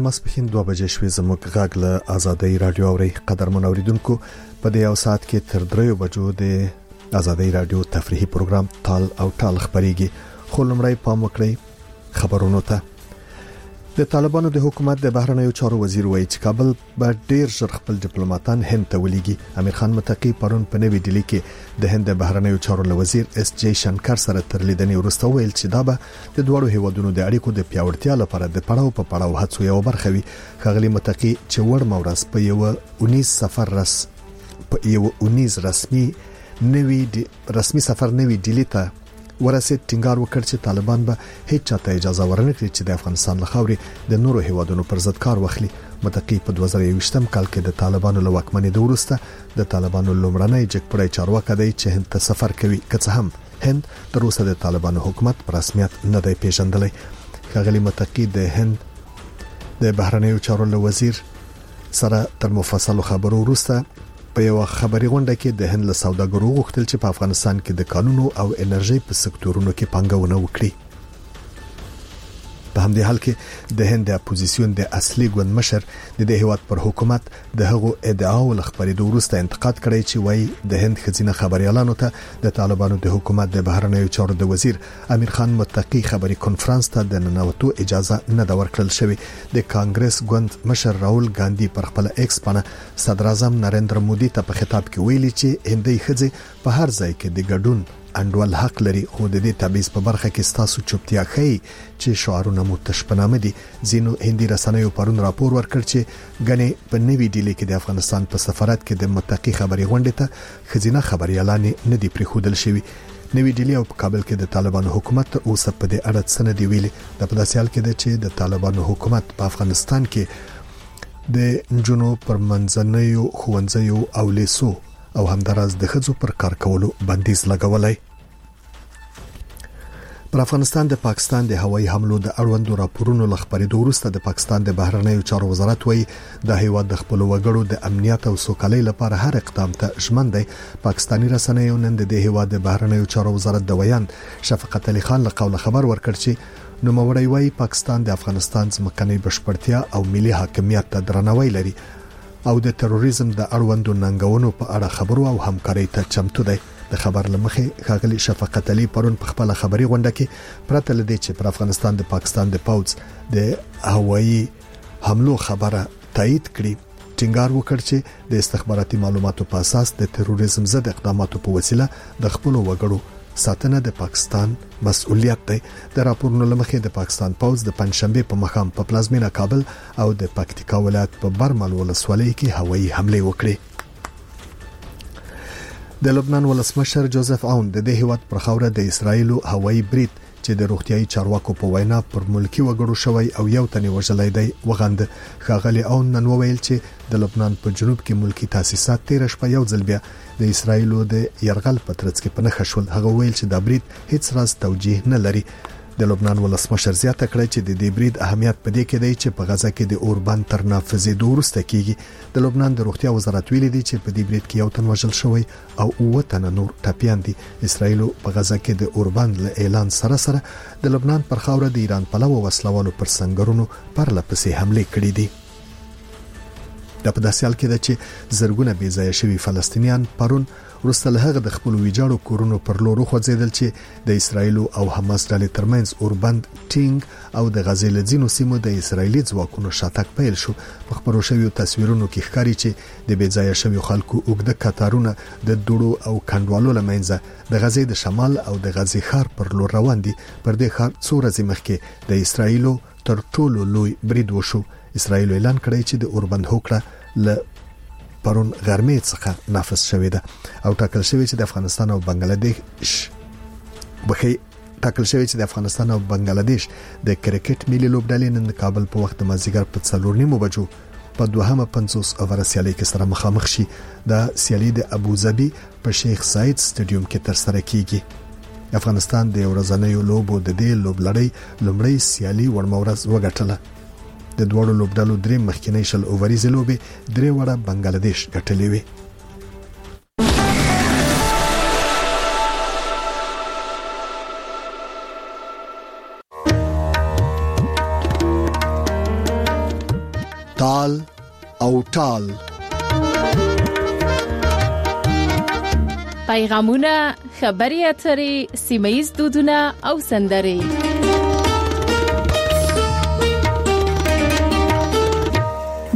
ماسپښین 2 بجې شوې. زموږ غږ له ازادۍ راډیو اورئ. قدرمن اوریدونکو، په دې یو ساعت کې تر 3 بجو د ازادۍ راډیو تفریحي پروګرام تال او ټال خپریږي، خو لومړی پام وکړئ خبرونو ته. د طالبانو د حکومت د بهرنیو چارو وزیر وایي چې کابل به ډیر ژر خپل ډیپلوماټان هند ته ولیږي. امیر خان متقي پرون په نوي ډیلي کې د هند د بهرنیو چارو له وزیر اس جی شنکر سره تر لیدنې وروسته وویل چې دا به د دواړو هیوادونو د اړیکو د پیاوړتیا لپاره د پړاو په پړاو هڅو یوه برخه وي. ښاغلي متقي چې وړمه ورځ په یوه اونیز سفر رس په یوه اونیز رسمي نوي رسمي سفر نوي ډیلي ته ورسید، ټینګار وکړ چې طالبان به هیڅ چاته اجازه ورنکړي چې د افغانستان له خاورې د نورو هیوادونو پر ضد کار واخلي. متقي په 2021 کال کې د طالبانو له واکمنېدو وروسته د طالبانو لومړنی جګپوړی چارواکی دی چې هند ته سفر کوي، که څه هم هند تر اوسه د طالبانو حکومت په رسمیت نه دی پیژندلی. ښاغلي متقي د هند د بهرنیو چارو له وزیر سره تر مفصلو خبرو وروسته په یوه خبري غونډه کې د هند له سوداګرو وغوښتل چې په افغانستان کې د کانونو او انرژۍ په سکتورونو کې پانګونه وکړي. په همدې حال کې د هند د اپوزیسیون د اصلي ګوند مشر د دې هیواد پر حکومت د هغو ادعاو له خپرېدو وروسته انتقاد کړی چې وایي د هند ښځینه خبریالانو ته د طالبانو د حکومت د بهرنیو چارو د وزیر امیر خان متقي خبري کنفرانس ته د ننوتو اجازه نه ده ورکړل شوې. د کانګرس ګوند مشر راول ګاندي پر خپله ایکس پاڼه صدراعظم نریندر مودي ته په خطاب کې ویلي چې هندۍ ښځې په هر ځای کې د ګډون انډول حق لري، خو د دې تبعیض په برخه کې ستاسو چوپتیا ښيي چې شعارونه مو تش په نامه دي. ځینو هندي رسنیو پرون راپور ورکړ چې ګنې په نوي ډیلي کې د افغانستان په سفارت کې د متقي خبري غونډې ته ښځینه خبریالانې نه دي پرېښودل شوي. نوي ډیلي او په کابل کې د طالبانو حکومت تر اوسه په دې اړه څه نه دي ویلي. دا په داسې حال کې ده چې د طالبانو حکومت په افغانستان کې د نجونو پر منځنیو ښوونځیو او لیسو او همداراز د ښځو پر کار کولو بندیز لګولی. پر افغانستان د پاکستان د هوایي حملو د اړوندو راپورونو له خپرېدو وروسته د پاکستان د بهرنیو چارو وزارت وایي دا هیواد د خپلو وګړو د امنیت او سوکالۍ لپاره هر اقدام ته ژمن دی. پاکستاني رسنیو نن د دې هیواد د بهرنیو چارو وزارت د ویاند شفقت علي خان له قوله خبر ورکړ چې نوموړی وایي پاکستان د افغانستان ځمکنۍ بشپړتیا او ملي حاکمیت ته درناوی لري او د تروریزم د اړوندو ننګونو په اړه خبرو او همکارۍ ته چمتو دی. د خبر له مخې ښاغلي شفقت علي پرون په خپله خبري غونډه کې پرته له دې چې پر افغانستان د پاکستان د پوځ د هوایي حملو خبره تایید کړي، ټینګار وکړ چې د استخباراتي معلوماتو په اساس د تروریزم ضد اقداماتو په وسیله د خپلو وګړو ساتنه د پاکستان مسؤلیت دی. د راپورونو له مخې د پاکستان پوځ د پنجشنبې په ماښام په پلازمینه کابل او د پکتیکا ولایت په برمل ولسوالۍ کې هوایي حملې وکړې. د لبنان ولسمشر جوزف عون د دې هیواد پر خاوره د اسراییل هوایي برید چې د روغتیايي چارواکو په وینا پر ملکي وګړو شوی او یو تن یې وژلی دی، وغند. ښاغلي عون نن وویل چې د لبنان په جنوب کې ملکي تاسیسات تېره شپه یو ځل بیا د اسراییلو د یرغل په ترڅ کې په نښه شول. هغه وویل چې دا برید هیڅ راز توجیه نه لري. د لبنان ولسمشر زیاته کړه چې د دې برید اهمیت په دې کې دی چې په غزه کې د اوربند تر نافذېدو وروسته کېږي. د لبنان د روغتیا وزارت ویلي دي چې په دې برید کې یو تن وژل شوی او 7 تنه نور ټپیان دي. اسراییلو په غزه کې د اوربند له اعلان سره سره د لبنان پر خاوره د ایران پلوه وسلوالو پر سنګرونو پرله پسې حملې کړې دي. دا په داسې حال کې ده چې زرګونه بې ځایه شوي فلسطینیان پرون وروسته له هغه د خپلو ویجاړو کورونو پر لور وخوځېدل چې د اسراییل او حماس ډلې ترمنځ اوربند ټینګ او د غزې له ځینو سیمو د اسراییلي ځواکونو شاتګ پیل شو. په خپرو شویو تصویرونو کې ښکاري چې د بې ځایه شویو خلکو اوږده کتارونه د دوړو او کنډوالو له منځه د غزې د شمال او د غزې ښار پر لور روان دي. پر دې ښار څو ورځې مخکې د اسراییلو تر ټولو لوی برید وشو. اسراییل اعلان کړی چې د اوربند هوکړه له پرون غرمې څخه نافذ شوې ده او ټاکل شوې چې د افغانستان او بنگلاديش بخي ټاکل شوې چې د افغانستان او بنگلاديش د کرکټ ملي لوبډلې نن د کابل په وخت د مازیګر په 4:30 بجو په دوهمه 50 اوره سیالۍ کې سره مخامخ شي. دا سیالي د ابوظبي په شیخ زاید سټډیوم کې تر سره کیږي. افغانستان د ورځنیو لوبو د دې لوبلړۍ لومړۍ سیالي وړمه ورځ وګټله. د دواړو لوبډلو درې مخکینۍ 20 اووریزې لوبې درې واړه بنګلادیش ګټلې وې. تال او ټال. پیغامونه، خبرې اترې، سیمه ییز دودونه او سندرې.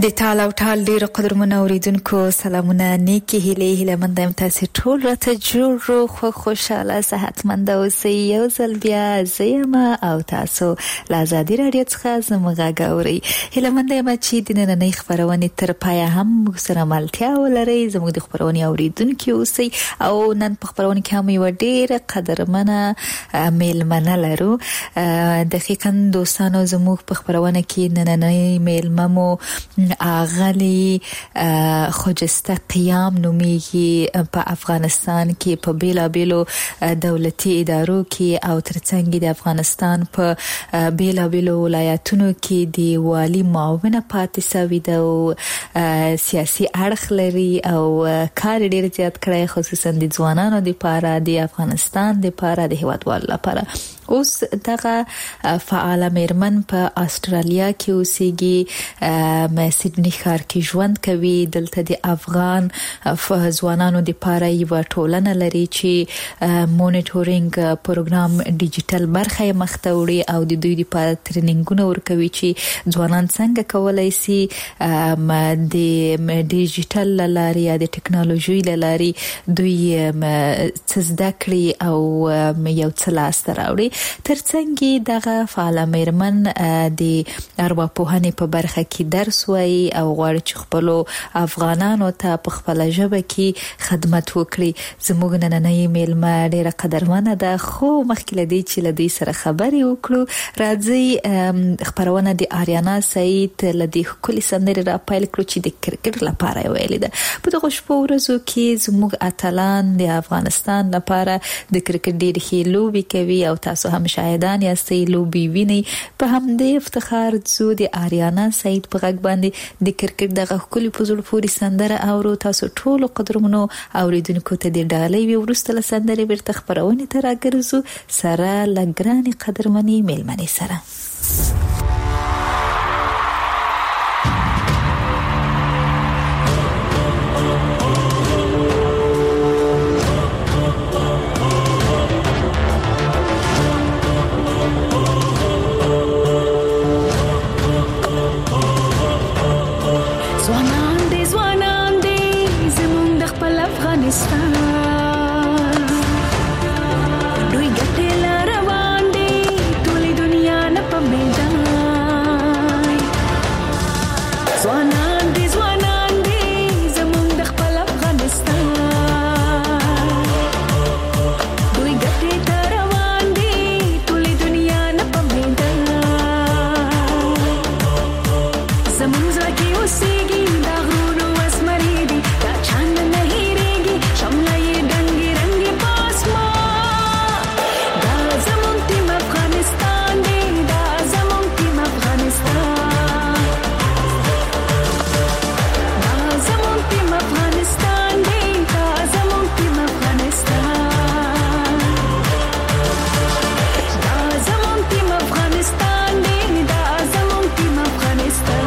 د تال او ټال ډېر قدرمن اوریدونکو سلامونه، نیکی هیلې، هیله مند یم تاسو ټول راته جوړ روغ، خوشاله، صحتمند اوسئ. یو ځل بیا زه یم او تاسو له ازادي راډیو څخه زموږ غږ اورئ. هیله مند یم چې د نننۍ خپرونې تر پایه هم موږ سره ملتیا ولرئ، زموږ د خپرونې اوریدونکي اوسئ. او نن په خپرونه کې هم یوه ډېره قدرمنه میلمنه لرو. دقیقا دوستانو، زموږ په خپرونه کې نننۍ میلمه مو اغلی خجسته قیام نومیږي. په افغانستان کې په بیلابیلو دولتي ادارو کې او ترڅنګ د افغانستان په بیلابیلو ولایتونو کې د والي معاونه پاتې سوې ده او سیاسي اړخ لري او کار ډیر زیات کړی، خصوصا د ځوانانو لپاره، د افغانستان لپاره، د هیوادوالو لپاره. اوس دغه فعاله میرمن په استرالیا کې اوسېږي، سیدني ښار کې ژوند کوي. دلته د افغان ځوانانو لپاره یوه ټولنه لري چې مونیټورینګ پروګرام ډیجیټل برخه یې مخته وړي او د دوی لپاره تریننګونه ورکوي چې ځوانان څنګه کولای شي د ډیجیټل له لارې یا د ټکنالوژۍ له لارې دوی څه زده کړي او یو څه لاسته راوړي. ترڅنګ دغه فعاله میرمن د ارواپوهنې په برخه کې درس وایي او غواړي چې خپلو افغانانو ته په خپله ژبه کې خدمت وکړي. زموږ نننۍ میلمه ډیره قدرمنه ده، خو مخکې له دې چې له دوی سره خبرې وکړو، راځئ خپرونه د آریانا سعید له دې ښکلې سندرې را پیل کړو چې د کرکټ لپاره یې ویلې ده. په دغو شپو ورځو کې زموږ اتلان د افغانستان لپاره د کرکټ ډېرې ښې لوبې کوي او تاسو هم شاهدان یاستئ، لوبې وینئ. په همدې افتخار ځو د آریانا سعید په غږ باندې د کرکټ دغه ښکلې په زړه پورې سندره اورو. تاسو ټولو قدرمنو اوریدونکو ته د ډالۍ وي. وروسته له سندرې بیرته خپرونې ته راګرځو سره له ګرانې قدرمنې میلمنې سره. دوی ګټې لا روان دي، ټولې دنیا نه په میدان. ځوانان دي، ځوانان دي، زموږ د خپل افغانستان. دوی ګټې ته روان دي، ټولې دنیا نه په میدان. زموږ زړه کې اوسېږي دا غرونو اسمري دي، دا چاند نه هېرېږي، شمله یې ډنګې رنګې په اسمان. دا زموږ ټیم افغانستان دی، دا زموږ ټیم افغانستان، دا زموږ ټیم افغانستان دی، دا زموږ ټیم افغانستان، دا زموږ ټیم افغانستان دی، دا زموږ ټیم افغانستان.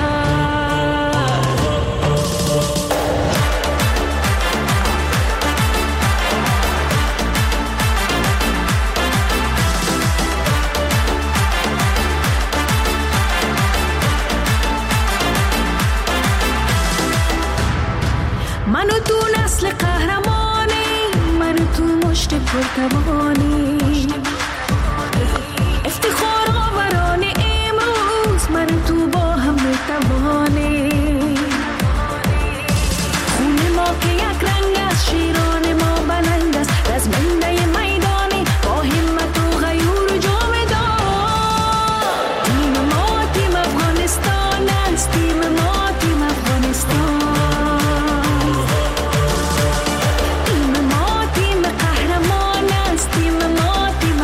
من و تو نسل قهرمانی، من و تو مشت پرتوانی، افتخار آوران امروز، من و تو با هم میتوانی. خون ما که یک رنگ است، شیران ما بلند است، رزمنده میدانی با همت و غیور و جامدان. تیم ما تیم افغانستان است، تیم ما تیم افغانستان، تیم ما تیم قهرمان است، تیم ما تیم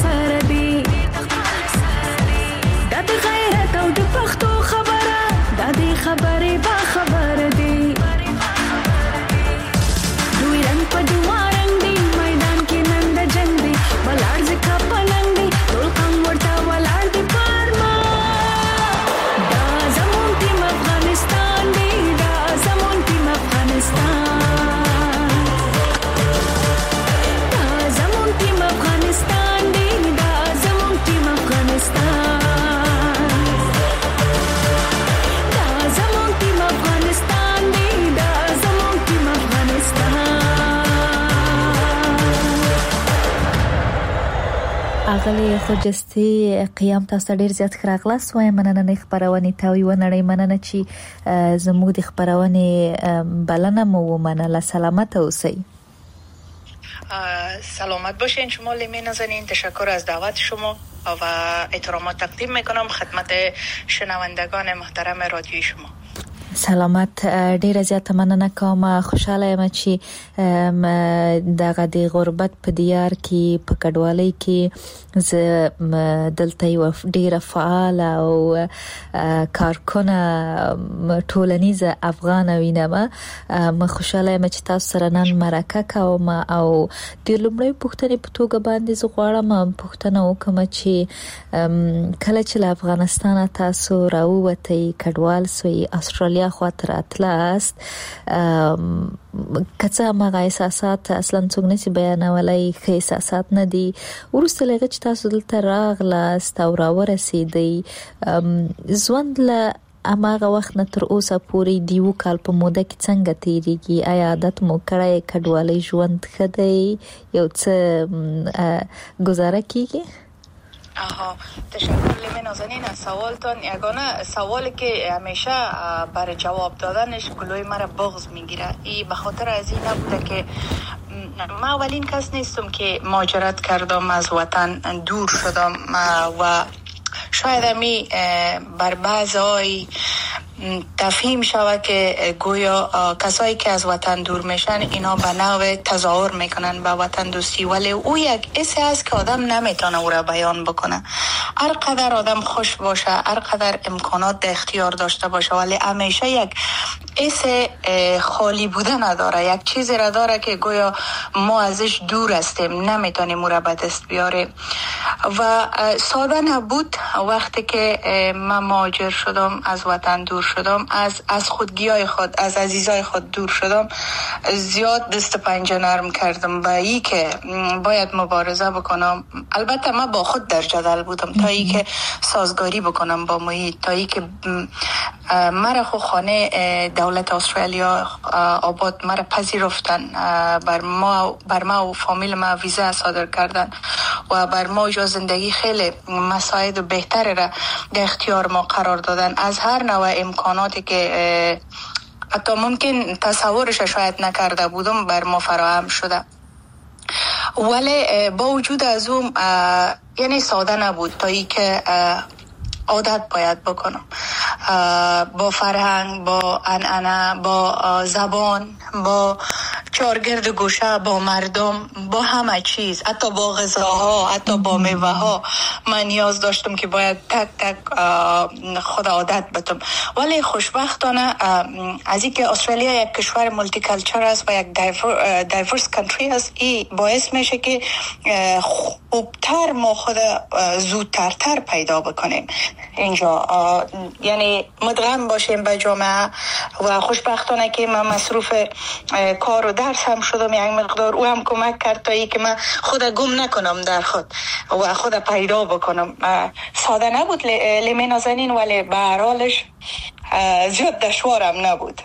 سره دي. دا د غیرت او د پښتو خبره، دا د خبرې با خبر دي. دوی رنګ په دوه رنګ دي، میدان کې نن د جنګ دي، ولاړ ځکه پلنګ دي، ټول قوم ورته ولاړ دي پرما. دا زمونږ ټیم افغانستان دی، دا زمونږ ټیم افغانستان، دا زمونږ ټیم افغانستان دی، دا زمونږ ټیم افغانستان، دا زمونږ ټیم افغانستان دی، دا زمونږ ټیم افغانستان. اغلې خجستې قیام، تاسو ته ډیر زیات ښه راغلاست وایم نننۍ خپرونې ته، او یوه نړۍ مننه چې زموږ د خپرونې بلنه مو ومنله. سلامت اوسئ. سلامت باشین شما لیمه نازنین. تشکر از دعوت شما و احترامات تقدیم میکنم خدمت شنوندگان محترم رادیوی شما. سلامت، ډیره زیاته مننه کوم. خوشاله یم چې دغه د غربت په دیار کې، په کډوالۍ کې زه دلته یوه ډیره فعاله او کارکنه ټولنیزه افغانه وینم. خوشاله یم چې تاسو سره نن مرکه کوم، او د لومړۍ پوښتنې په توګه باندې زه غواړم پوښتنه وکړم چې کله چې له افغانستانه تاسو راووتئ، کډوال سوئ، استرالیا خواته راتلاست، که څه هم هغه احساسات اصلا څوک نشي بیانولای، ښه احساسات نه دي، وروسته له هغه چې تاسو دلته راغلاست او راورسېدئ، ژوند له هماغه وخت نه تر اوسه پورې د یو کال په موده کې څنګه تیریږي؟ آیا عادت مو کړی؟ کډوالۍ ژوند ښه دی؟ یو څه ګزاره کیږي؟ آها، تشکر لیمه نازنین از سوالتان. یگانه سوالی که همیشه برای جواب دادنش گلوی مرا بغض میگیره، ای به خاطر از این نبوده که من اولین کس نیستم که مهاجرت کردم، از وطن دور شدم و شاید همی بر بعضای تفهیم شود که گویا کسایی که از وطن دور میشن اینا به نوع تظاهر میکنن به وطن دوستی، ولی او یک حسی است که آدم نمیتونه او را بیان بکنه. هر قدر آدم خوش باشه، هر قدر امکانات در اختیار داشته باشه، ولی همیشه یک حس خالی بودن نداره، یک چیزی را داره که گویا ما ازش دور هستیم، نمیتونیم او را به دست بیاریم. و ساده نبود وقتی که من مهاجر شدم، از وطن دور شدم، از خودگیای خود، از عزیزای خود دور شدم. زیاد دست پنجه نرم کردم به ای که باید مبارزه بکنم. البته من با خود در جدل بودم تا ای که سازگاری بکنم با محیط، تا ای که مرا خو خانه دولت استرالیا آباد مرا پذیرفتن، بر ما و فامیل ما ویزا صادر کردن و بر ما جا زندگی خیلی مساعد و بهتر را در اختیار ما قرار دادن. از هر نوع امکاناتی که حتی ممکن تصورش شاید نکرده بودم بر ما فراهم شده. ولی با وجود از اون یعنی ساده نبود تا ای که عادت باید بکنم با فرهنگ، با عنعنه، با زبان، با چارگرد گوشه، با مردم، با همه چیز، حتی با غذاها، حتی با میوه ها. من نیاز داشتم که باید تک تک خود عادت بتم. ولی خوشبختانه از اینکه استرالیا یک کشور multiculture است و یک diverse country است، این باعث میشه که خوبتر ما خود زودترتر پیدا بکنیم اینجا، یعنی مدغم باشیم به جامعه. و خوشبختانه که من مصروف کار و درس هم شدم، یک مقدار او هم کمک کرد تا ای که من خود گم نکنم در خود و خود پیدا بکنم. ساده نبود لیمه نازنین، ولی به هر حالش زیاد دشوارم نبود.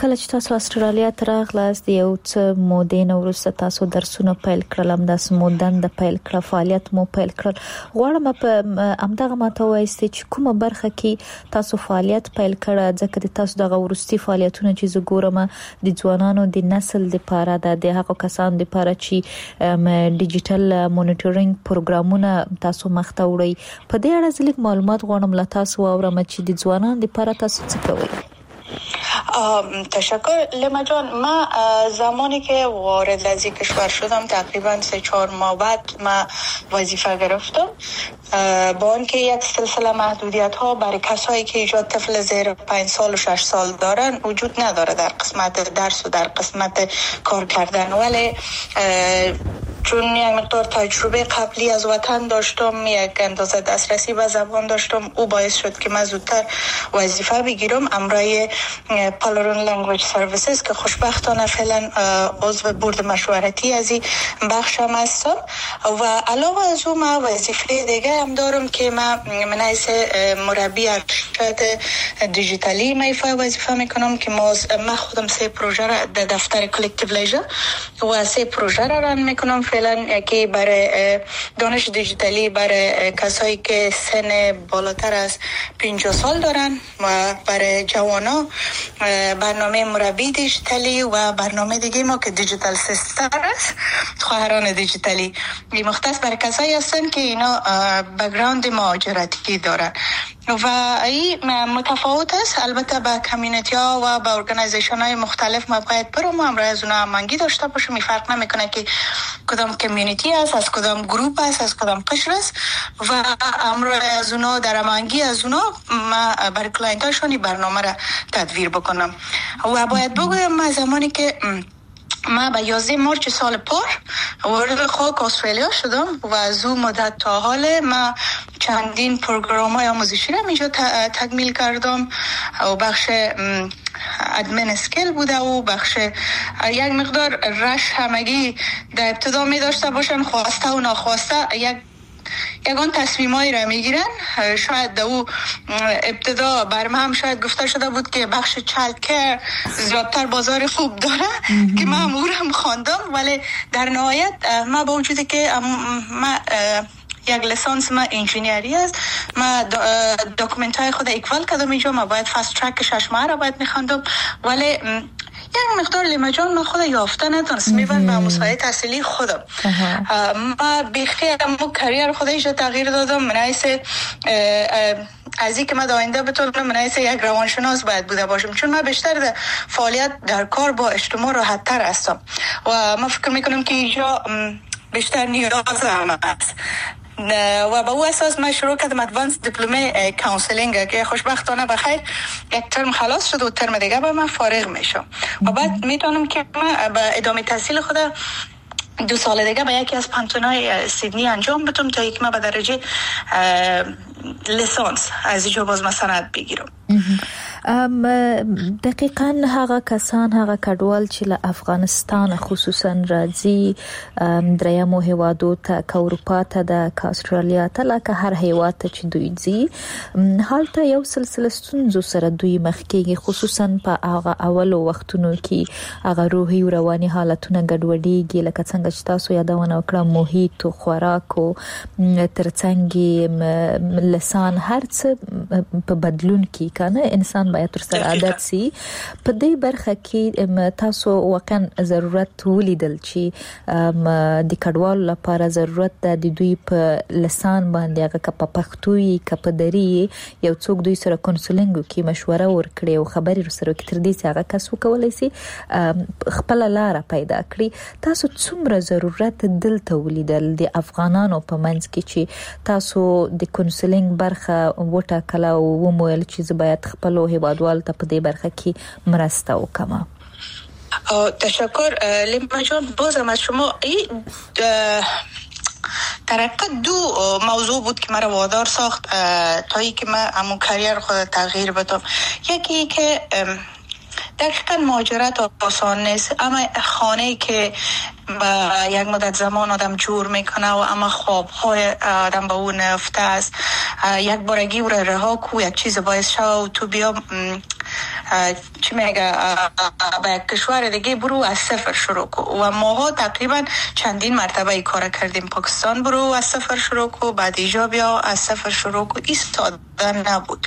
کله چې تاسو استرالیا ته راغلاست، یو څه مودې نه وروسته تاسو درسونه پیل کړل، همداسې مو دنده پیل کړه، فعالیت مو پیل کړل. غواړم په همدغه ماته ووایاست چې کومه برخه کې تاسو فعالیت پیل کړه، ځکه د تاسو دغه وروستي فعالیتونه چې زه ګورم د ځوانانو د نسل دپاره ده، د هغو کسانو دپاره چې ډیجیټل مونیټورینګ پروګرامونه تاسو مخته وړئ. په دې اړه زه لږ معلومات غواړم له تاسو واورم چې د ځوانانو دپاره تاسو څه کوئ. تشکر لما جان. ما زمانی که وارد از این کشور شدم تقریبا 3-4 ماه بعد ما وظیفه گرفتم، با آنکه یک سلسله محدودیت ها برای کسایی که ایجاد طفل زیر 5 سال و 6 سال دارن وجود نداره در قسمت درس و در قسمت کار کردن، ولی چون یک مقدار تجربه قبلی از وطن داشتم، یک اندازه دسترسی به زبان داشتم، او باعث شد که من زودتر وظیفه بگیرم امرای Palaroon Language Services که خوشبختانه فعلا عضو board مشورتی از این بخش هم هستم. و علاوه از او من وظیفه دیگه هم دارم که من منحیث مربی ارشد دیجیتالی میفای وظیفه میکنم که ما خودم 3 پروژه را در دفتر Collective Leisure و 3 پروژه را run میکنم فعلا. یکی برای دانش دیجیتالی برای کسایی که سن بالاتر از 50 سال دارن و برای جوانا برنامه مربی دیجیتالی و برنامه دیگه ما که Digital Sister است، خواهران دیجیتالی، مختص برای کسایی هستن که اینا background مهاجرتی دارن و این متفاوت است. البته با community ها و با organization های مختلف ما باید برم و همراه از اونا هماهنگی داشته باشم. این فرق نمیکنه که کدام community است، از کدام گروپ است، از کدام قشر است و همراه از اونا در هماهنگی از اونا ما برای client هاشون این برنامه را تدویر بکنم. و باید بگویم ما زمانی که من به 11 March سال پار وارد خاک استرالیا شدم و از او مدت تا حال من چندین پروگرام های آموزشی را اینجا تکمیل کردم و بخش admin skill بوده و بخش یک مقدار rush همگی در ابتدا می داشته باشن، خواسته و ناخواسته یگان تصمیمایی را میگیرن. شاید در او ابتدا بر من هم شاید گفته شده بود که بخش child care زیادتر بازار خوب داره که من هم او را هم خواندم، ولی در نهایت من با وجودی که من یک لسانس ما engineer ی است، ما document های خود equal کردم اینجا، ما باید fast track 6 ماه را باید میخواندم، ولی یک مقدار لیما جان من خود یافته نتونست میبند به مسائل تحصیلی خودم. ما بیخی امو career خود اینجا تغییر دادم. من حیث از اینکه من در آینده بتونم من حیث یک روانشناس باید بوده باشم، چون من بیشتر در فعالیت در کار با اجتماع راحت تر هستم و من فکر میکنم که اینجا بیشتر نیاز هم است و به او اساس من شروع کردم advanced diploma counselling که خوشبختانه بخیر یک ترم خلاص شد و ترم دیگه به من فارغ میشم و بعد میتونم که من به ادامه تحصیل خود 2 سال دیگه به یکی از پوهنتون‌های سیدنی انجام بدم تا یک من به درجه لیسانس از اینجا باز من سند بگیرم. دقیقاً هغه کسان، هغه کډوال چې له افغانستان خصوصا راځي درېیمو هیوادو ته، که اروپا ته ده، که استرالیا ته، لکه هر هیواد ته چې دوی ځي، هلته یو سلسله ستونزو سره دوی مخ کېږي، خصوصا په هغه اولو وختونو کې هغه روحي او رواني حالتونه ګډوډېږي، لکه څنګه چې تاسو یادونه وکړه، محیط او خوراک او ترڅنګ لسان هر څه په بدلون کې کنه انسان باید تر سره عادت سي. په دې برخه کې تاسو واقعا ضرورت ولیدل چې د کډوالو لپاره ضرورت ده د دوی په لسان باندې، هغه که په پښتو وي که په دري، یو څوک دوی سره counselling وکړي، مشوره ورکړي او خبرې ورسره وکړي، تر دې چې هغه کس وکولای سي خپله لاره پیدا کړي. تاسو څومره ضرورت دلته ولیدل د افغانانو په منځ کې چې تاسو د counselling برخه وټاکله او ومو ویل چې زه باید خپلو هیوادوالو ته په دې برخه کې مرسته وکړم؟ تشکر لیما جان، بازم از شما. در حقیقت دو موضوع بود که مرا وادار ساخت تا ای که من همون career خود تغییر بدم. یکی که دقیقا مهاجرت آسان نیست، اما خانه‌ای که با یک مدت زمان آدم جور میکنه و اما خوابهای آدم با اون افته است، یک بارگی او را رها کو، یک چیز باعث شو و تو بیا چی میگه به یک کشور دیگه برو از صفر شروع کو. و ماها تقریبا چندین مرتبه ای کار کردیم، پاکستان برو از صفر شروع کو، بعد ایجا بیا از صفر شروع کو. این ساده نبود.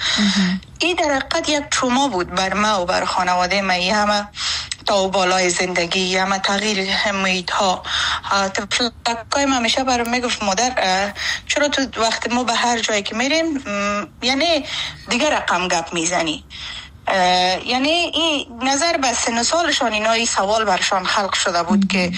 این در حقیقت یک تروما بود بر ما و بر خانواده ما. ای همه تا و بالای زندگی، همه تغییر محیط ها. طفلکای من همیشه برام میگفت مادر چرا تو وقت ما به هر جایی که میریم یعنی دیگه رقم گپ میزنی. یعنی این نظر به سن سالشان اینا این سوال برشان خلق شده بود که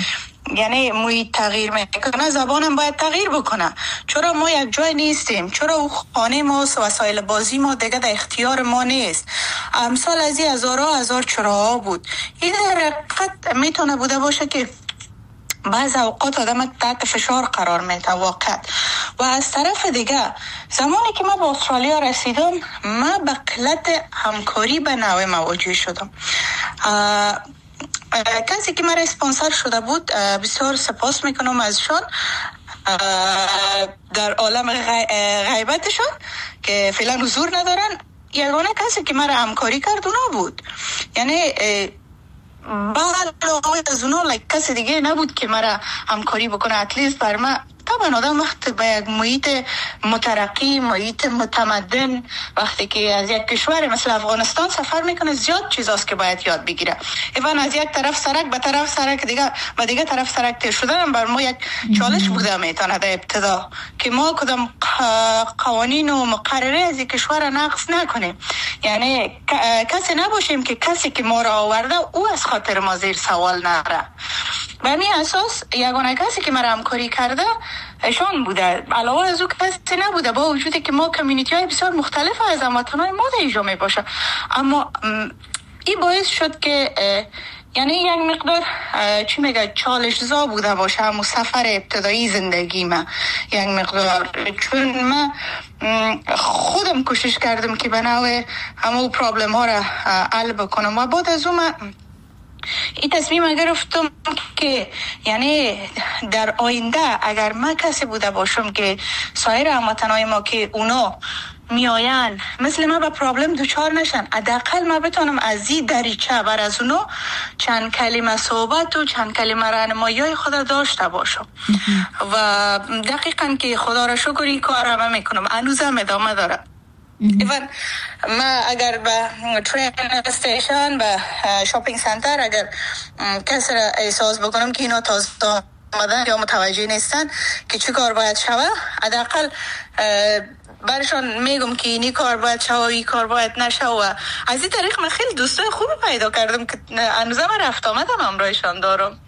یعنی محیط تغییر میکنه، زبانم باید تغییر بکنه، چرا ما یک جای نیستیم، چرا او خانه ما وسایل بازی ما دیگه در اختیار ما نیست. امثال از این هزارها هزار چراها بود. این در حقیقت میتونه بوده باشه که بعض اوقات آدم تحت فشار قرار میده واقعا. و از طرف دیگه زمانی که من به استرالیا رسیدم، من به قلت همکاری به نوع مواجه شدم. کسی که مرا اسپانسر شده بود بسیار سپاس میکنم ازشان در عالم غیبتشان که فعلا حضور ندارن. یگانه کسی که مرا همکاری کرد اونا بود، یعنی بعد از اونا کسی دیگه نبود که مرا همکاری بکنه. at least بر من طبعا آدم وقت به یک محیط مترقی، محیط متمدن، وقتی که از یک کشور مثل افغانستان سفر میکنه زیاد چیزاست که باید یاد بگیره. even از یک طرف سرک به طرف سرک دیگه به دیگه طرف سرک تیر شدن بر ما یک چالش بوده میتونه در ابتدا که ما کدام قوانین و مقرره از یک کشور نقض نکنیم، یعنی کسی نباشیم که کسی که ما را آورده او از خاطر ما زیر سوال نره. به همین اساس یگانه کسی که مرا همکاری کرده ایشان بوده، علاوه از او کسی نبوده، با وجودی که ما community های بسیار مختلف از هموطنای ما در اینجا می باشه. اما این باعث شد که یعنی یک مقدار چی میگه چالش زا بوده باشه همون سفر ابتدایی زندگی ما یک مقدار، چون من خودم کوشش کردم که به نوع همون problem ها را حل بکنم و بعد از اون من این تصمیم گرفتم که یعنی در آینده اگر من کسی بوده باشم که سایر هموطنای ما که اونا میآین مثل من به problem دچار نشن، حداقل من بتونم از این دریچه بر از اونا چند کلمه صحبت و چند کلمه راهنمایی خود داشته باشم. و دقیقا که خدا را شکر این کار همه میکنم، هنوزم ادامه داره. even ما اگر به train station، به shopping center اگر کسی را احساس بکنم که اینا تازه آمدن یا متوجه نیستن که چی کار باید شوه، حداقل برشان میگم که اینی کار باید شوه و این کار باید نشوه. و از این طریق من خیلی دوستای خوب پیدا کردم که هنوزم رفت آمدم همراهشان دارم.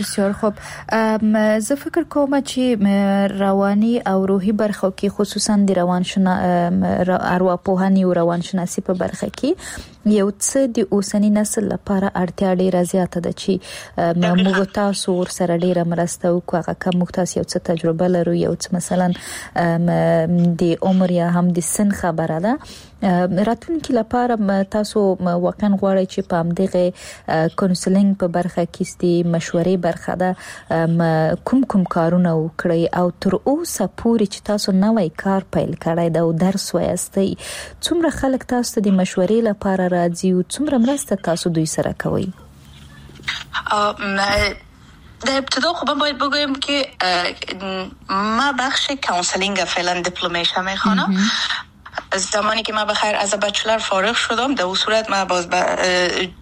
بسیار خوب. زه فکر کوم چې رواني او روحي برخو کې خصوصا د روان شنا ارواپوهنې او روانشناسي په برخه کې یو څه د اوسني نسل لپاره اړتیا ډیره زیاته ده چې موږ تاسو ورسره ډیره مرسته وکړو. هغه که موږ تاسو یو څه تجربه لرو، یو څه مثلا د عمر یا هم د سن خبره ده، راتلونکي لپاره تاسو واقعا غواړئ چې په همدغه counselling په برخه کې د مشورې برخه ده کوم کوم کارونه وکړئ او تر اوسه پورې چې تاسو نوی کار پیل کړی دا او درس وایاستئ، څومره خلک تاسو ته د مشورې لپاره راځي او څومره مرسته تاسو دوی سره کوئ؟ در ابتدا خب من باید بگویم که ما بخش counselling فعلا دیپلمش میخوانم. از زمانی که من بخیر از bachelor فارغ شدم، در اون صورت من باز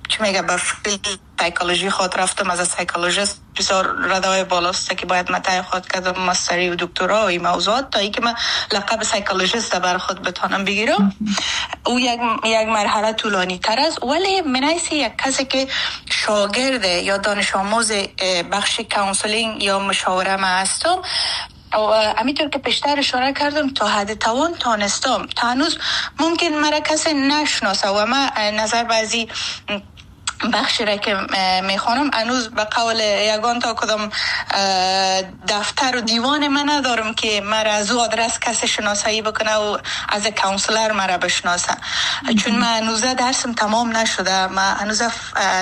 چی میگه به field psychology خود رفتم. از psychologist بسیار ردای بالاست که باید مطرح خود کردم، ماستری و دکترا و این موضوعات، تا اینکه من لقب psychologist بر خود بتانم بگیرم. او یک مرحله طولانی تر است، ولی من حیث یک کسی که شاگرد یا دانش آموز بخش counselling یا مشاوره ما هستم، و همینطور که پیشتر اشاره کردم تا حد توان تانستم، تا هنوز ممکن مرا کسی نشناسه و من نظر بعضی بخشی را که میخوانم هنوز به قول یگان تا کدام دفتر و دیوان من ندارم که مرا از او آدرس کسی شناسایی بکنه و از counselor مرا بشناسه، چون من هنوز درسم تمام نشده، من هنوز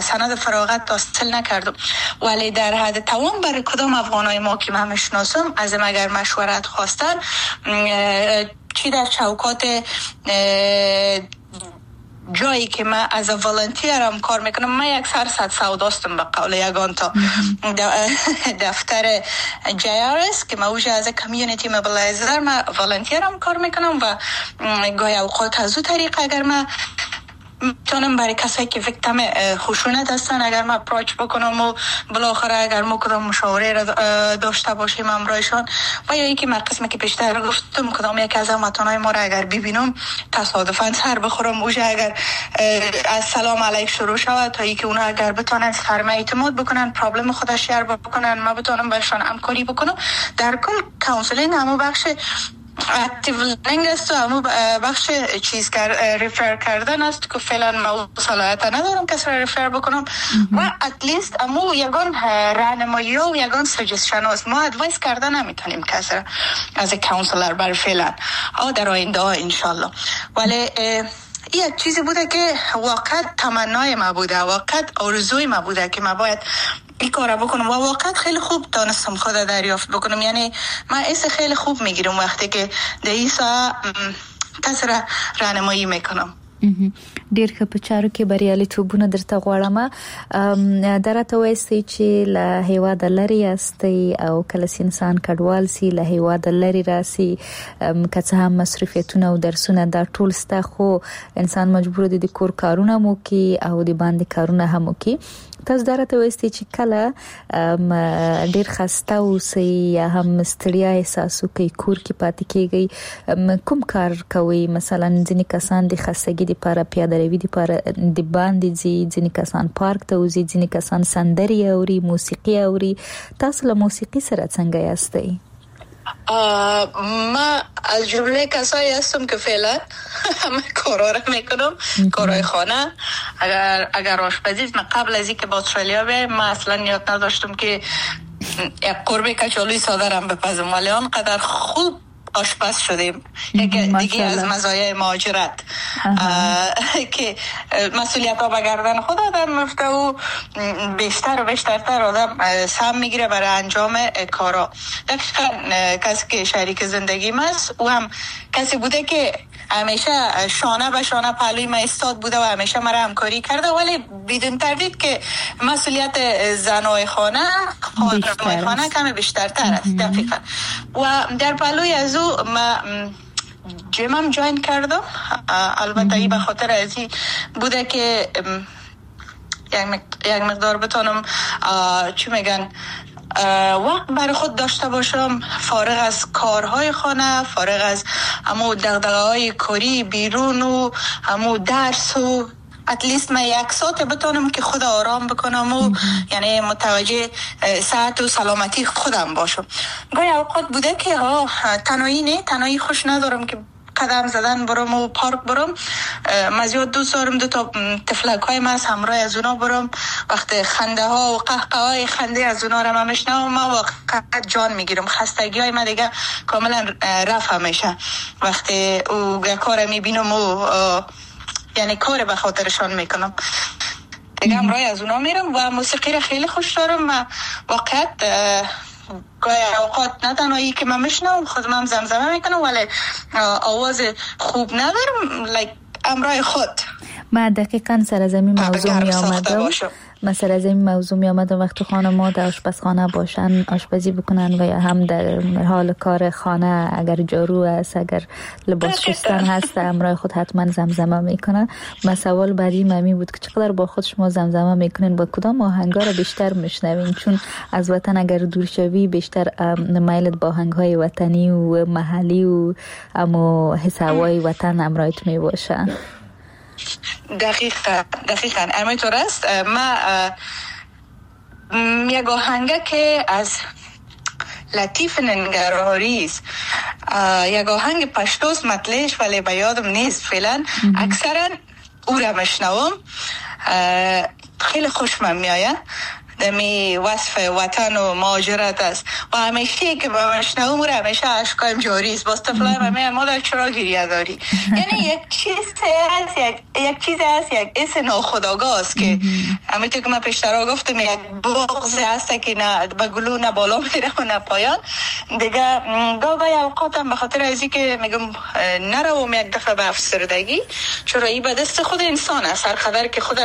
سند فراغت حاصل نکردم. ولی در حد توان برای کدام افغانای ما که من میشناسم از اگر مشورت خواستن، چی در چوکات جایی که من از volunteer م کار میکنم، من یک سر صد سوداستم به قول یگان تا دفتر JRS که من اوجه از community mobilizer من volunteer م کار میکنم و گاهی اوقات از او طریق اگر من میتونم برای کسایی که victim خشونت هستن اگر ما approach بکنم و بالاخره اگر ما کدام مشاوره را داشته باشیم همراهشان، و یا اینکه من قسمی که پیشتر گفتم کدام یک از هموطنای ما را اگر ببینم تصادفاً سر بخورم اوجه، اگر از سلام علیک شروع شود تا اینکه اونا اگر بتونن سر ما اعتماد بکنن، problem خودش share بکنن، ما بتونم برشان همکاری بکنم. در کل counseling همو بخش active listening است و همو بخش چیز refer کردن است که فعلا ما صلاحیت ندارم کسی را refer بکنم و at least امو یگان راهنمایی و یگان suggestion است. ما advice کردن نمیتونیم کسی را از counselor بر فعلا او در آینده انشالله. ولی یک چیزی بوده که واقعا تمنای ما بوده، واقعا آرزوی ما بوده که ما باید این کار بکنم و واقعا خیلی خوب تانستم خود دریافت بکنم. یعنی من حس خیلی خوب میگیرم وقتی که در این ساعه کسی را راهنمایی میکنم. ډیر ښه، په چارو کې بریالیتوبونه درته غواړم. دا راته وایاست چې له هیواده لرې یاستئ او کله چې انسان کډوال سي له هیواده لرې راسي، که څه هم مصروفیتونه او درسونه دا ټول سته، خو انسان مجبور دی د کور کارونه هم وکړي او د باندې کارونه هم وکړي. تاسو دا راته وایاست چې کله ډیر خسته اوسئ یا هم ستړیا احساس وکړئ، کور کې پاتې کیږئ، کوم کار کوئ؟ مثلا ځینې کسان د خستګي لپاره پیاده روي لپاره د باندې ځي، ځینې کسان پارک ته وځي، ځینې کسان سندرې اوري، موسیقي اوري. تاسو له موسیقي سره څنګه یاستئ؟ ما از جمله کسایی هستم که فعلا همه کارا را میکنم، کارهای خانه. اگر آشپزی، من قبل از اینکه با استرالیا بیایم من اصلا یاد نداشتم که یک قربه کچالوی ساده را بپزم، ولی آنقدر خوب آشپز شدیم. یک دیگه از مزایای مهاجرت که مسئولیت ها به گردن خود آدم میفته و بیشتر و بیشترتر آدم سهم میگیره برای انجام کارا. دقیقا کسی که شریک زندگی ماست او هم کسی بوده که همیشه شانه به شانه پهلوی ما ایستاد بوده و همیشه مرا همکاری کرده، ولی بدون تردید که مسئولیت زنای خانه خانه کمی بیشترتر است. دقیقا. و در پهلوی از او ما gym م join کردم. البته این به خاطر از این بوده که یک مقدار بتونم چی میگن وقت برای خود داشته باشم، فارغ از کارهای خانه، فارغ از همو دغدغه‌های کاری بیرون و همو درس و at least من یک ساعت بتونم که خود آرام بکنم و یعنی متوجه ساعت و سلامتی خودم باشم. گاهی اوقات بوده که تنهایی، نه تنهایی خوش ندارم که قدم زدن برم و پارک برم. من زیاد دوست دارم دو تا طفلک های من همراه از اونا برم. وقت خنده ها و قهقه های خنده از اونا رو من میشنوم، من واقعا جان میگیرم. خستگی های من دیگه کاملا رفع میشه وقتی او کار میبینم و یعنی کار به خاطرشان میکنم دیگه، همراه از اونا میرم و موسیقی رو خیلی خوش دارم. من واقعا گاهی اوقات نه تنهایی که من میشنوم، خودم هم زمزمه میکنم، ولی آواز خوب ندارم، like امرای خود. ما دقیقا سر از این موضوع می آمدم. مثلا از این موضوع می آمدم وقتی خانم‌ها در آشپزخانه باشن آشپزی بکنن و یا هم در حال کار خانه، اگر جارو است، اگر لباس شستن هست، امرای خود حتما زمزمه میکنن. ما سوال بعدی ممی بود که چقدر با خود شما زمزمه میکنین، با کدام آهنگا را بیشتر میشنوین؟ چون از وطن اگر دور شوی بیشتر میلت با آهنگ‌های وطنی و محلی و امو حسابای وطن امرایت می باشه. دقیقاً همینطور است. ما یک آهنگه که از لطیف ننگرهاری است، یک آهنگ پشتوست مطلعش ولی به یادم نیست فعلا، اکثرا او را مشنوم، خیلی خوشم میآید. دمی وصف وطن و مهاجرت است و همیشه که با مشنوم را همیشه اشکایم جاری است. باز طفلایم همه مادر چرا گریه داری؟ یعنی یک چیز هست، یک چیز هست، یک اس ناخودآگاه است که همینطور که من پیشترا گفتم یک بغض هست که نه به گلو نه بالا میره و نه پایان. دیگه گاهی اوقات هم به خاطر از اینکه میگم نروم یک دفعه به افسردگی، چرا این به دست خود انسان است، هر قدر که خود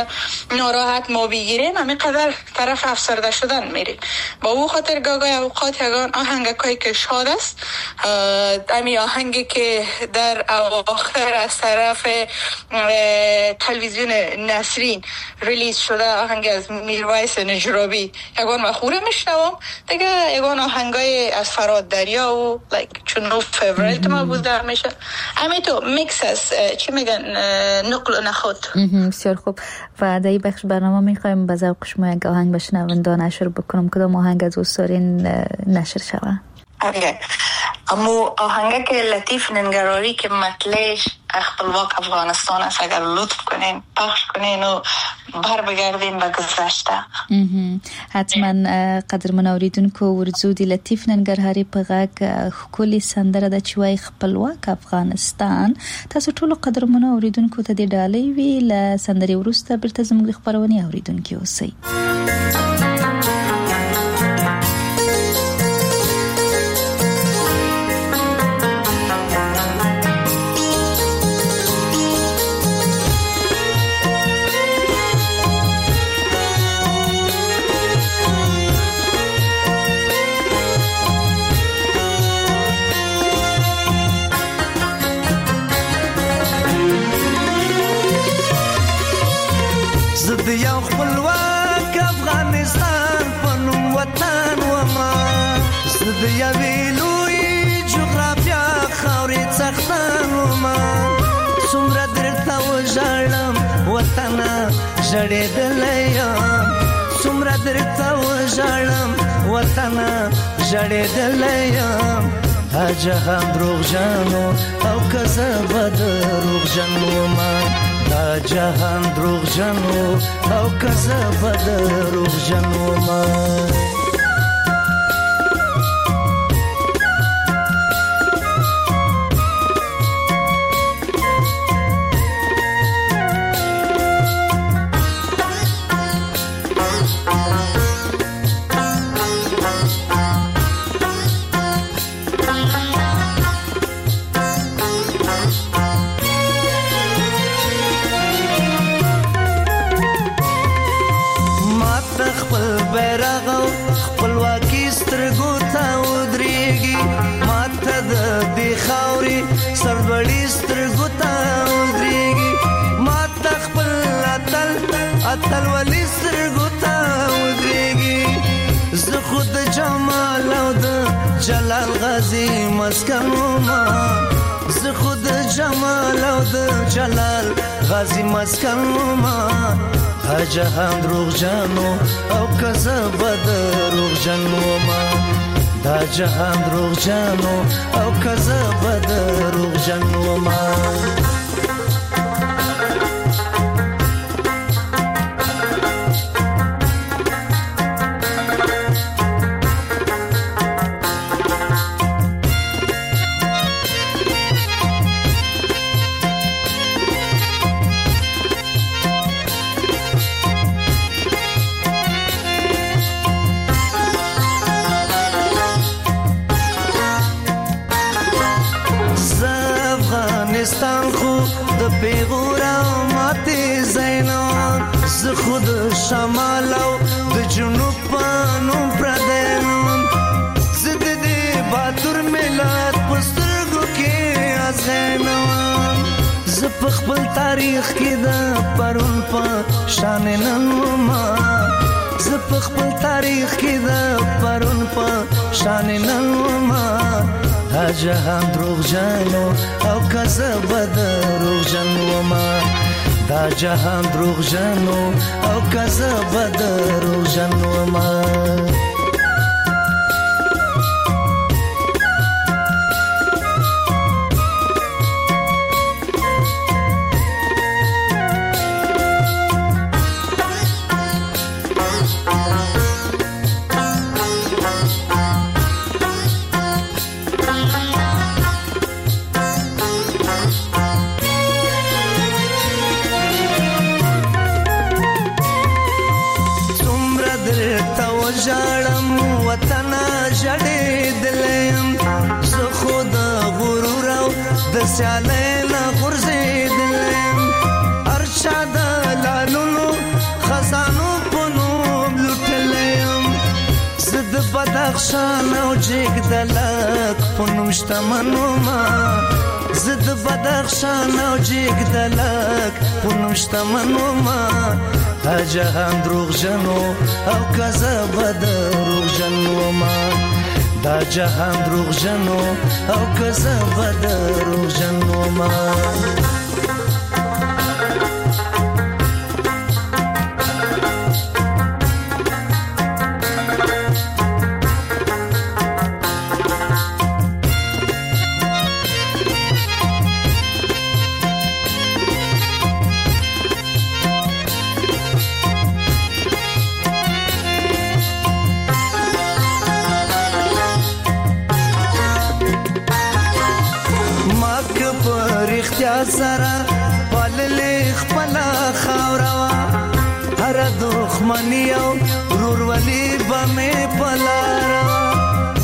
ناراحت ما بگیریم همین قدر طرف افسرده شدن میریم. با او خاطر گاهی اوقات یگان آهنگکایی که شاد است، همین آهنگی که در اواخر از طرف تلویزیون نسرین release شده، آهنگ از میرویس نجرابی، یگان مخوره میشنوم دیگه. یگان آهنگای از فراد دریا و like چون نو favorite ما بوده همیشه، همین تو میکس است، چی میگن، نقل و نخود. بسیار خوب. و در این بخش برنامه میخوایم به ذوق شما یک آهنگ به شنوندان نشر بکنم. کدام آهنگ از دوست دارین نشر شوه؟ okay. امو آهنگه که لطیف ننگراری که مطلعش خپلواک افغانستان است، اگر لطف کنین پخش کنین و بر بگردین به گذشته. حتما. قدرمن اوریدونکو ورځو د لطیف ننګرهاري په غږ ښکلې سندره ده چې وایي خپلواک افغانستان. تاسو ټولو قدرمنو اوریدونکو ته د ډالۍ وي. له سندرې وروسته بیرته زموږ د خپرونې اوریدونکي اوسئ. یو خپلواک افغانستان په نوم وطن وما، زه د یوې لویې جغرافیا خاورې څښتن وما. څومره درته وژاړم وطنه ژړېدلی یم، څومره درته وژاړم وطنه ژړېدلی یم. دا جهان دروغجن او که زه به دروغجن وم، دا جهان دروغجن او که زه به دروغجن وم. اتل ولی سترګو ته ودرېږي، زه خو د جمال او د جلال غازي مسکن وم، زه خو د جمال او د جلال غازي مسکن وم. دا جهان دروغجن او که زه به دروغجن وم، دا جهان دروغجن او که زه به دروغجن وم. خود شمال او د جنوب په نوم پردی نوم، زه د دې باتور ملت په سترګو کې ازغی نه وم، زه په خپل تاریخ کې د پرون په شان نن وم، زه په خپل تاریخ کې د پرون په شان نن وم. دا جهان دروغجن او که زه به دروغجن وم، دا جهان دروغجن او که زه به دروغجن وم. ژاړم سیالۍ نه غورځېدلی یم. هر چا د لالونو خزانو په نوم لوټلی یم. زه د بدخشان او جګدلک په نوم شتمن وم. زه د بدخشان او جګدلک په نوم شتمن وم. دا جهان دروغجن او که زه به دروغجن وم. دا جهان دروغجن او که زه به دروغجن وم. سره پاللې خپله خاوره وه، هره دښمني او ورورولي به مې په لاره وه.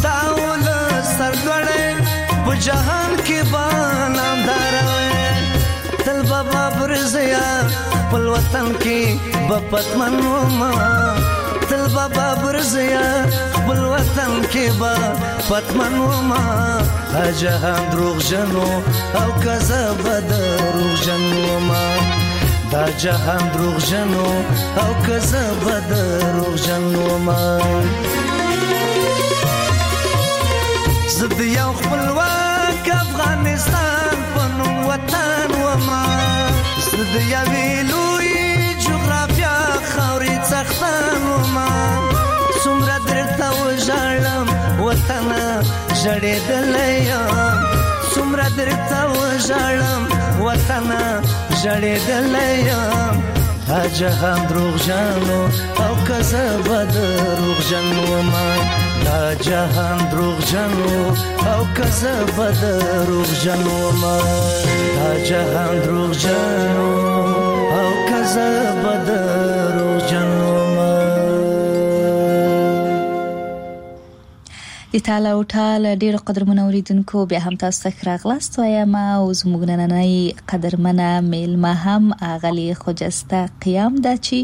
دا ولس سرلوړی په جهان کې به نامداره وی، تل به بابرزیه خپل وطن کې به پتمن وم. تل به بابرزیه خپل وطن کې به پتمن وم. دا جهان دروغجن او که زه به دروغجن وم. دا جهان دروغجن او که زه به دروغجن وم. زه د یو خپلواک افغانستان په نوم وطن وم. زه د یوې لویې جغرافیا خاورې څښتن وم. څومره درته وژاړم وطنه ژړېدلی یم. څومره درته وژاړم وطنه ژړېدلی یم. دا جهان دروغجن او که زه به دروغجن وم. دا جهان دروغجن او که زه به دروغجن وم. دا جهان دروغجن او که زه به دروغجن وم. د تاله او ټال ډېر قدرمن اوریدونکو بیا هم تاسو ته ښه راغلاست وایم او زموږ نننۍ قدرمنه میلمه هم اغلې خجسته قیام ده چې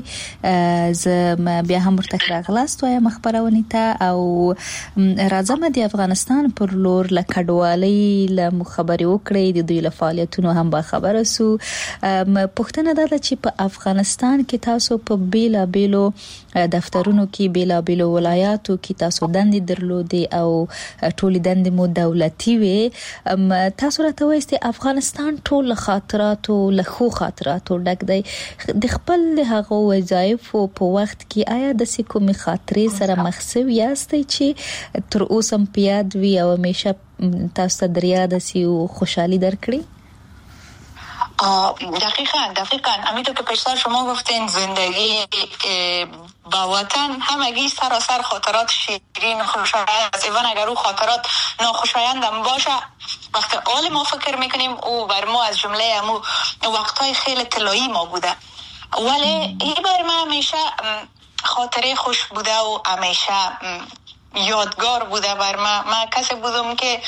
زه بیا هم ورته ښه راغلاست وایم خپرونې ته. او راځم د افغانستان پر لور له کډوالۍ له مو خبرې وکړې، د دوی له فعالیتونو هم باخبره سو. پوښتنه دا ده چې په افغانستان کې تاسو په بېلابېلو دفترونو کې، بېلابېلو ولایاتو کې تاسو دندې درلودې او ټولې دندې مو دولتي وې. تاسو راته وایاست افغانستان ټول له خاطراتو، له ښو خاطراتو ډک دی. د خپل هغو وظایفو په وخت کې آیا داسې کومې خاطرې سره مخ سوي یاستئ چې تر اوسه هم په یاد وي او همیشه تاسو ته در یاده سي او خوشحالي درکړي؟ دقیقاً همینطور که پیشتر شما گفتین زندگی با وطن همگی سراسر خاطرات شیرین خوشایند است. ایوان اگر او خاطرات ناخوشایندم باشه وقتی آل ما فکر میکنیم او بر ما از جمله امو وقتهای خیلی طلایی ما بوده، ولی ای بر ما همیشه خاطره خوش بوده و همیشه یادگار بوده بر ما. من کسی بودم که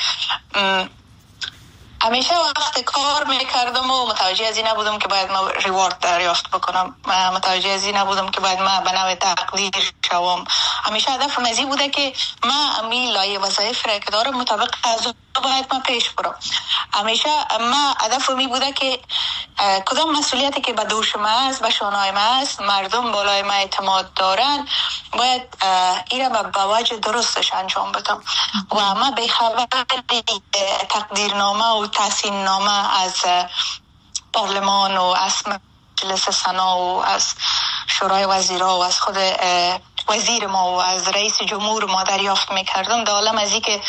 همیشه وقت کار میکردم و متوجه از این نبودم که باید ما ریوارد دریافت بکنم، متوجه از این نبودم که باید ما به نوع تقدیر شوم. همیشه هدفم از این بوده که ما امی لایه وظایف را که دارم مطابق از باید ما پیش برم. همیشه ما هدفم این بوده که کدام مسئولیتی که به دوش ما است، به شانه‌های ما است، مردم بالای ما اعتماد دارن، باید این را به وجه درستش انجام بدم. و ما به خبر تقدیرنامه و تحسین نامه از پارلمان و از مجلس سنا و از شورای وزیرا و از خود وزیر ما و از رئیس جمهور ما دریافت میکردم، در عالم از این که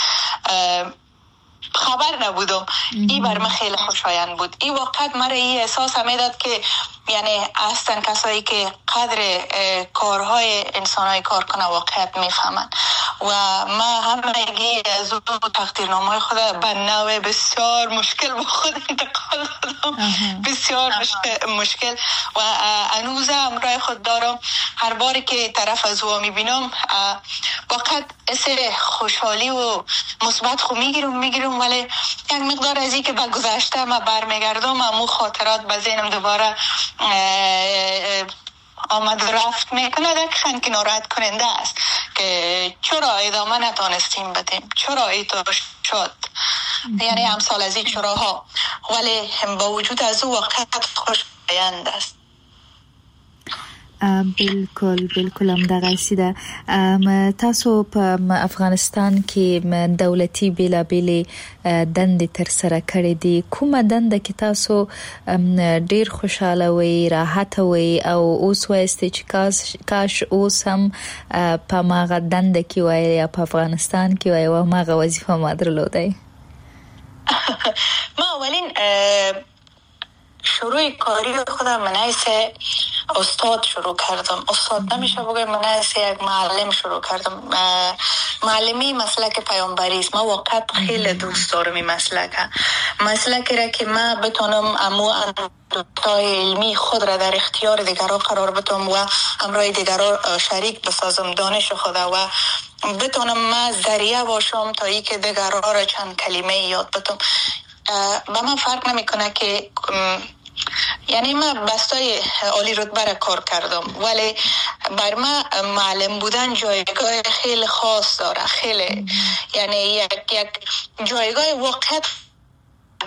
خبر نبودم. این بر من خیلی خوشایند بود. این واقعا مرا این احساس میداد که یعنی هستن کسایی که قدر کارهای انسانهای کارکنه واقعیت میفهمن و ما همگی از او تقدیرنامه خود به نوع بسیار مشکل با خود انتقال دادم، بسیار مشکل و هنوز همراه خود دارم. هر باری که طرف از او میبینم واقعا حس خوشحالی و مثبت خو میگیرم، ولی یک مقدار از این که به گذشته ما برمیگردم امو خاطرات به ذهنم دوباره آمد رفت میکنه. دقیقا که ناراحت کننده است که چرا ادامه نتانستیم بدیم، چرا ایطور شد، یعنی امثال از این چراها، ولی با وجود از او واقعا خوشایند است. بالکل بالکل هم دغسې ده. تاسو په افغانستان کې دولتي بېلابېلې دندې ترسره کړې دي، کومه دنده کې تاسو ډیر خوشاله وئ، راحت وئ او اوس وایاست چې کاش اوس هم په هماغه دنده کې وای یا په افغانستان کې وای او هماغه وظیفه ما درلودای؟ ما اولین شروع کاری خودم من حیث استاد شروع کردم. استاد نمیشه بگم، من حیث یک معلم شروع کردم. معلمی مسلک پیامبری است. ما واقعا خیلی دوست دارم این مسلک را که ما بتونم امو اندوختای علمی خود را در اختیار دیگران قرار بدم و همراه دیگران شریک بسازم دانش خود و بتونم ما ذریعه باشم تا ای که دیگران را چند کلمه یاد بدم. با من فرق نمیکنه که یعنی من بستای عالی رتبه را کار کردم، ولی بر من معلم بودن جایگاه خیلی خاص داره، خیلی یعنی یک جایگاه واقعیت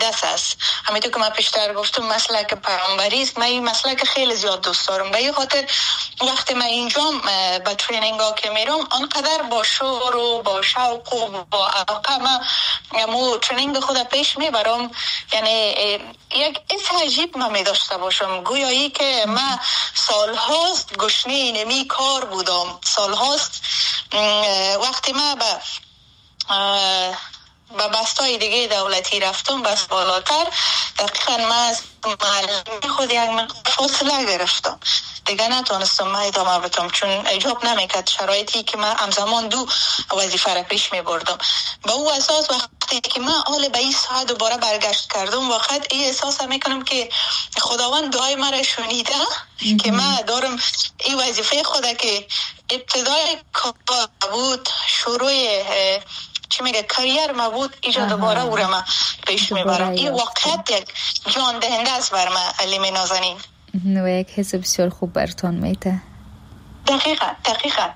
دست است. همینطور که من پیشتر گفتم مسلک پیامبری است، من این مسلک خیلی زیاد دوست دارم. به این خاطر وقتی من اینجا به training ها که میرم آنقدر با شور و با شوق و با علاقه من مو training خود پیش میبرم. یعنی یک حس عجیب من می داشته باشم، گویایی که من سالهاست گشنه نمی کار بودم، سالهاست وقتی من به بستای دیگه دولتی رفتم، بس بالاتر، دقیقا من از معلمی خود یک فاصله گرفتم، دیگه نتونستم من ادامه بدم چون ایجاب نمیکرد شرایطی که من همزمان دو وظیفه را پیش میبردم. با او اساس وقتی که من حال به این ساعت دوباره برگشت کردم، واقعا این احساس میکنم که خداوند دعای مرا شنیده که من دارم این وظیفه خود که ابتدای کار بود، شروع چی میگه کریر ما بود، اینجا دوباره او را ما پیش میبرم. این واقعیت یک جان دهنده است بر ما علیمی نازنین و یک حس بسیار خوب براتون میده. دقیقاً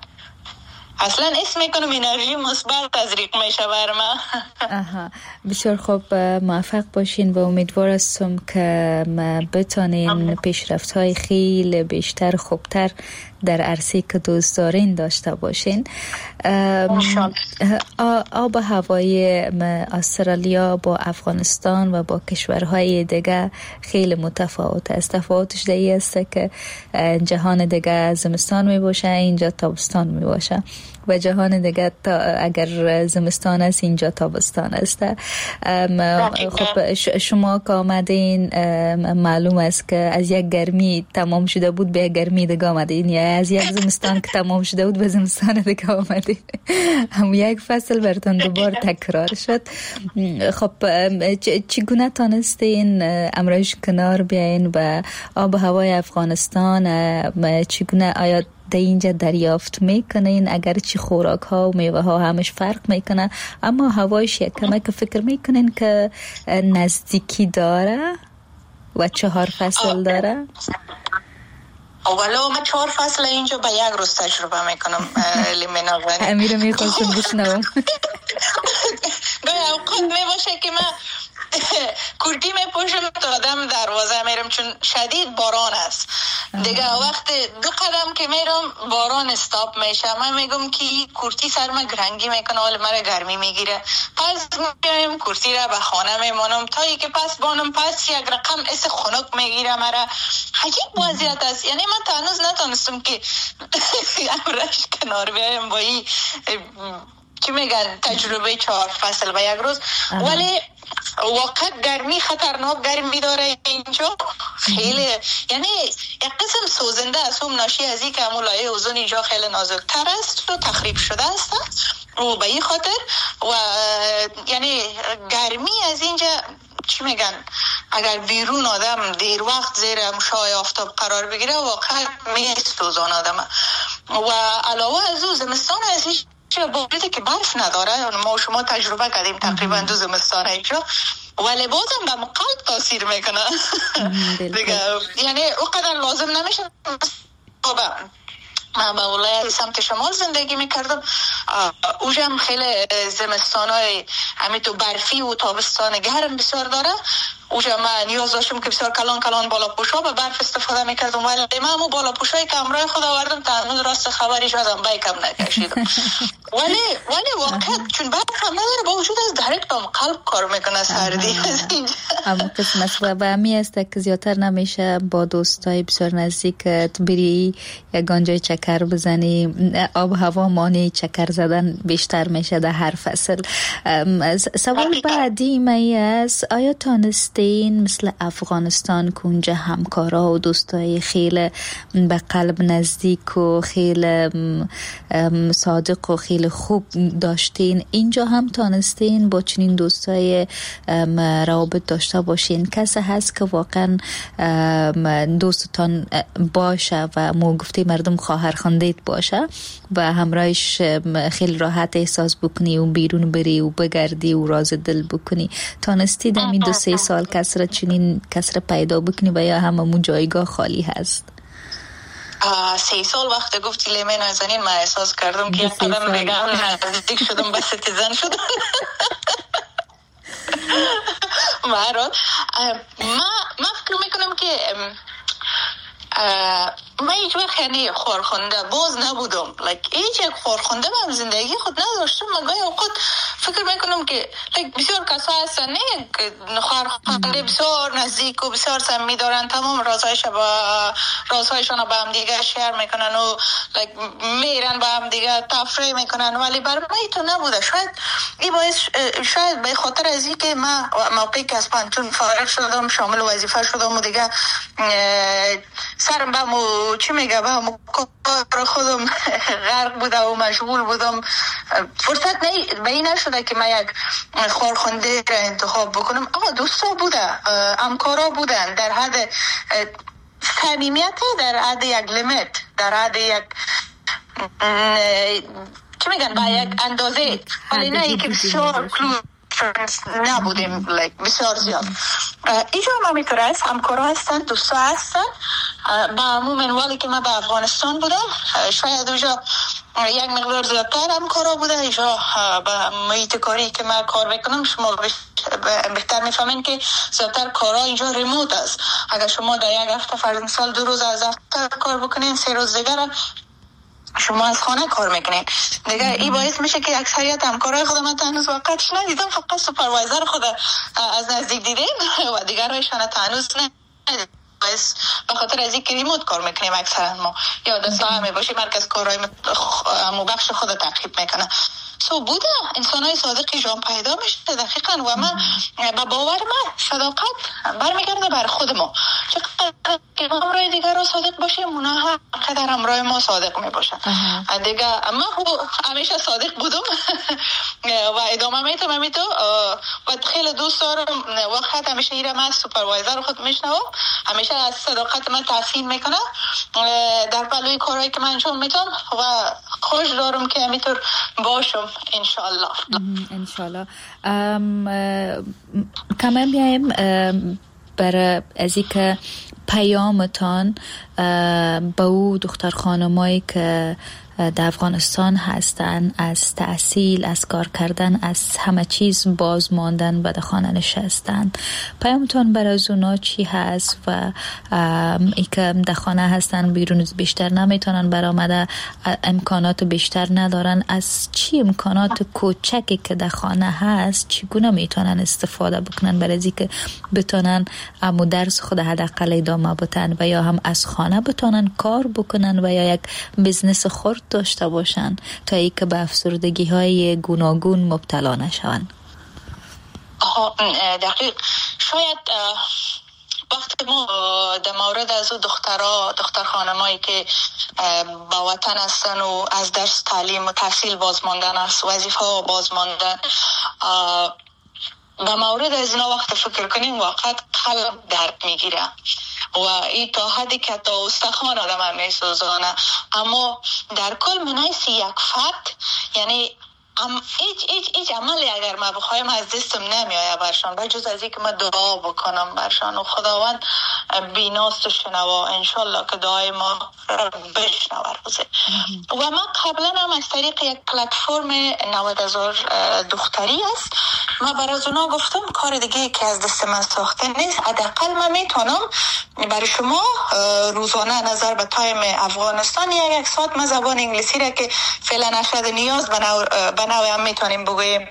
اصلا اسم میکنم انرژی مثبت تزریق میشه بر ما. بسیار خوب، موفق باشین و امیدوار هستم که بتانین پیشرفت های خیلی بیشتر خوبتر در عرصه که دوست دارین داشته باشین. آب هوای استرالیا با افغانستان و با کشورهای دیگه خیلی متفاوت است. تفاوتش در این است که جهان دیگه زمستان می باشه، اینجا تابستان می باشه و جهان دیگه تا اگر زمستان است اینجا تابستان است. خب شما که آمدین معلوم است که از یک گرمی تمام شده بود به یک گرمی دیگه آمدین، یا از یک زمستان که تمام شده بود به زمستان دیگه آمدین، هم یک فصل براتون دوبار تکرار شد. خب چگونه تانستین امرایش کنار بیاین و آب و هوای افغانستان چگونه آیا در اینجا دریافت میکنین؟ اگرچه خوراک ها و میوه ها همش فرق میکنه، اما هوایش یک کمک فکر میکنین که نزدیکی داره و 4 فصل داره؟ اولا من 4 فصل اینجا به یک روز تجربه میکنم. امیر میخواستم بشنوم. گاهی اوقات میباشه که من کردی میپوشم تا دم دروازه میرم چون شدید باران است. دیگه وقت 2 قدم که میرم باران استاپ میشه، من میگم که کرتی سر من گرنگی میکنه، حال مرا گرمی میگیره. پس میایم کرتی را به خانه میمانم تا ای که پس بانم، پس یک رقم اس خنک میگیره مرا. عجیب وضعیت است. یعنی من تا هنوز نتونستم که امرش کنار بیایم با این چی میگن تجربه 4 فصل به یک روز. ولی واقعا گرمی خطرناک گرمی داره اینجا، خیلی یعنی یک قسم سوزنده است، هم ناشی از این که همون لایه اوزون اینجا خیلی نازکتر است و تخریب شده است و به این خاطر و یعنی گرمی از اینجا چی میگن، اگر بیرون آدم دیر وقت زیر شعاع آفتاب قرار بگیره واقعا میسوزان آدم. و علاوه از او زمستان از هیچ باید که برف نداره، ما شما تجربه کردیم تقریبا 2 زمستان اینجا، ولی بازم به قلب تاثیر میکنه دیگه، یعنی اوقدر لازم نمیشه. من به ولایت سمت شمال زندگی میکردم، اوجم خیلی زمستانای همین تو برفی و تابستان گرم بسیار داره. اوجا من نیاز داشتم که بسیار کلان کلان بالا پوشا به برف استفاده میکردم، ولی من همون بالا پوشایی که همراه خود آوردم تا هنوز راست خبری شدم بیکم نکشیدم. ولی واقعا چون برف هم نداره، با وجود از درک بام قلب کار میکنه سردی از اینجا. اما قسم و همی است که زیادتر نمیشه با دوستای بسیار نزدیکت بری یگان جای چکر بزنی، آب هوا مانی چکر زدن بیشتر میشه در هر فصل. سوال بعدی می است، آیا تانست مثل افغانستان که اونجا همکارا و دوستای خیلی به قلب نزدیک و خیلی صادق و خیلی خوب داشتین، اینجا هم تانستین با چنین دوستای روابط داشته باشین؟ کسی هست که واقعا دوستتان باشه و مو گفته مردم خواهر خواندیت باشه و همراهش خیلی راحت احساس بکنی و بیرون بری و بگردی و راز دل بکنی؟ تانستی در این 2-3 سال کسره چنین کسره پیدا بکنی و یا هممون جایگاه خالی هست؟ 3 سال وقت گفتی لیمه نازنین، من احساس کردم که یک قدم دیگه هم نزدیک شدم به citizen شدم. من فکر میکنم که من هیچ وقت یعنی خورخونده باز نبودم، هیچ یک خورخونده من زندگی خود نداشتم. من گاهی اوقات فکر میکنم که بسیار کسا هستن نه خورخونده بسیار نزدیک و بسیار صمیمی دارن، تمام رازهایشان با هم دیگه شیر میکنن و میرن با هم دیگه تفریح میکنن، ولی برای من تو نبوده. شاید این باعث، شاید به خاطر از اینکه من موقعی که از پانتون فارغ شدم شامل وظیفه شدم و دیگه سرم به مو چی میگه به مو کار خودم غرق بوده و مشغول بودم، فرصت به این نشده که من یک خارخونده را انتخاب بکنم. آقا دوستا بوده، همکارا بودن، در حد صمیمیت، در حد یک لیمیت، در حد یک چی میگن با یک اندازه، ولی نه اینکه بسیار close نبودیم، بسیار زیاد. اینجا هم همینطور است، همکارا هستن، دوستا هستن. با همون منوالی که من به افغانستان بودم شاید اونجا یک مقدار زیادتر همکارا بوده. اینجا به محیط کاری که من کار میکنم شما بهتر میفهمین که زیادتر کارا اینجا remote است. اگر شما در یک هفته فرض مثال 2 روز از دفتر کار بکنین، 3 روز دیگر شما از خانه کار میکنین دیگه. این باعث میشه که اکثریت همکارای خود من هنوز واقعا ندیدم، فقط supervisor خود از نزدیک دیدیم و دیگرایشان هنوز ندیدم. به خاطر از اینکه remote کار میکنیم اکثرا ما، یا در ساحه میباشیم مرکز کارهای بخش خود تعقیب میکنه. so بوده انسانای صادقی جان پیدا میشه دقیقاً. و من به باور من صداقت برمیگرده بر خود ما، چقدر که ما همراه دیگر رو صادق باشیم اونا هم قدر همراه ما صادق میباشن دیگه. من همیشه صادق بودم و ادامه میتم همیتو و خیلی دوست دارم. وقت همیشه ایره من supervisor خود میشنوم، همیشه از صداقت من تحسین میکنه در پلوی کارهایی که من انجام میتم و خوش دارم که همینطور باشم انشالله. انشالله. کمان بیایم برای از اینکه پیامتان به او دختر خانمایی که در افغانستان هستن، از تحصیل، از کار کردن، از همه چیز باز ماندن و در خانه نشستن، پیامتان برای از اونا چی هست؟ و ای که در خانه هستن، بیرون بیشتر نمیتونن برآمده، امکانات بیشتر ندارن، از چی امکانات کوچکی که در خانه هست چگونه میتونن استفاده بکنن برای از اینکه بتونن امو درس خود حداقل ادامه بدن و یا هم از خانه بتونن کار بکنن و یا یک business خرد داشته باشن تا اینکه به افسردگی های گوناگون مبتلا نشوند؟ دقیق شاید وقتی ما در مورد از او دختر خانمایی که با وطن هستن و از درس تعلیم و تحصیل باز ماندن، از وظیفه ها باز ماندن، به مورد از اینا وقت فکر کنیم واقعا قلب درد میگیره و این تا حدی که تا استخوان آدم هم میسوزانه. اما در کل منحیث یک فرد، یعنی هیچ عملی اگر ما بخوایم از دستم نمیآید برشان، به جز از اینکه ما دعا بکنم برشان و خداوند بیناست و شنوا، انشالله که دعای ما را بشنوه روزه. و ما قبلا هم از طریق یک پلتفرم 90,000 دختری است، ما برای اونا گفتم کار دیگه که از دست من ساخته نیست، حداقل من میتونم برای شما روزانه نظر به time افغانستان یک ساعت من زبان انگلیسی را که فعلا اشد نیاز به نوع هم میتونیم بگوییم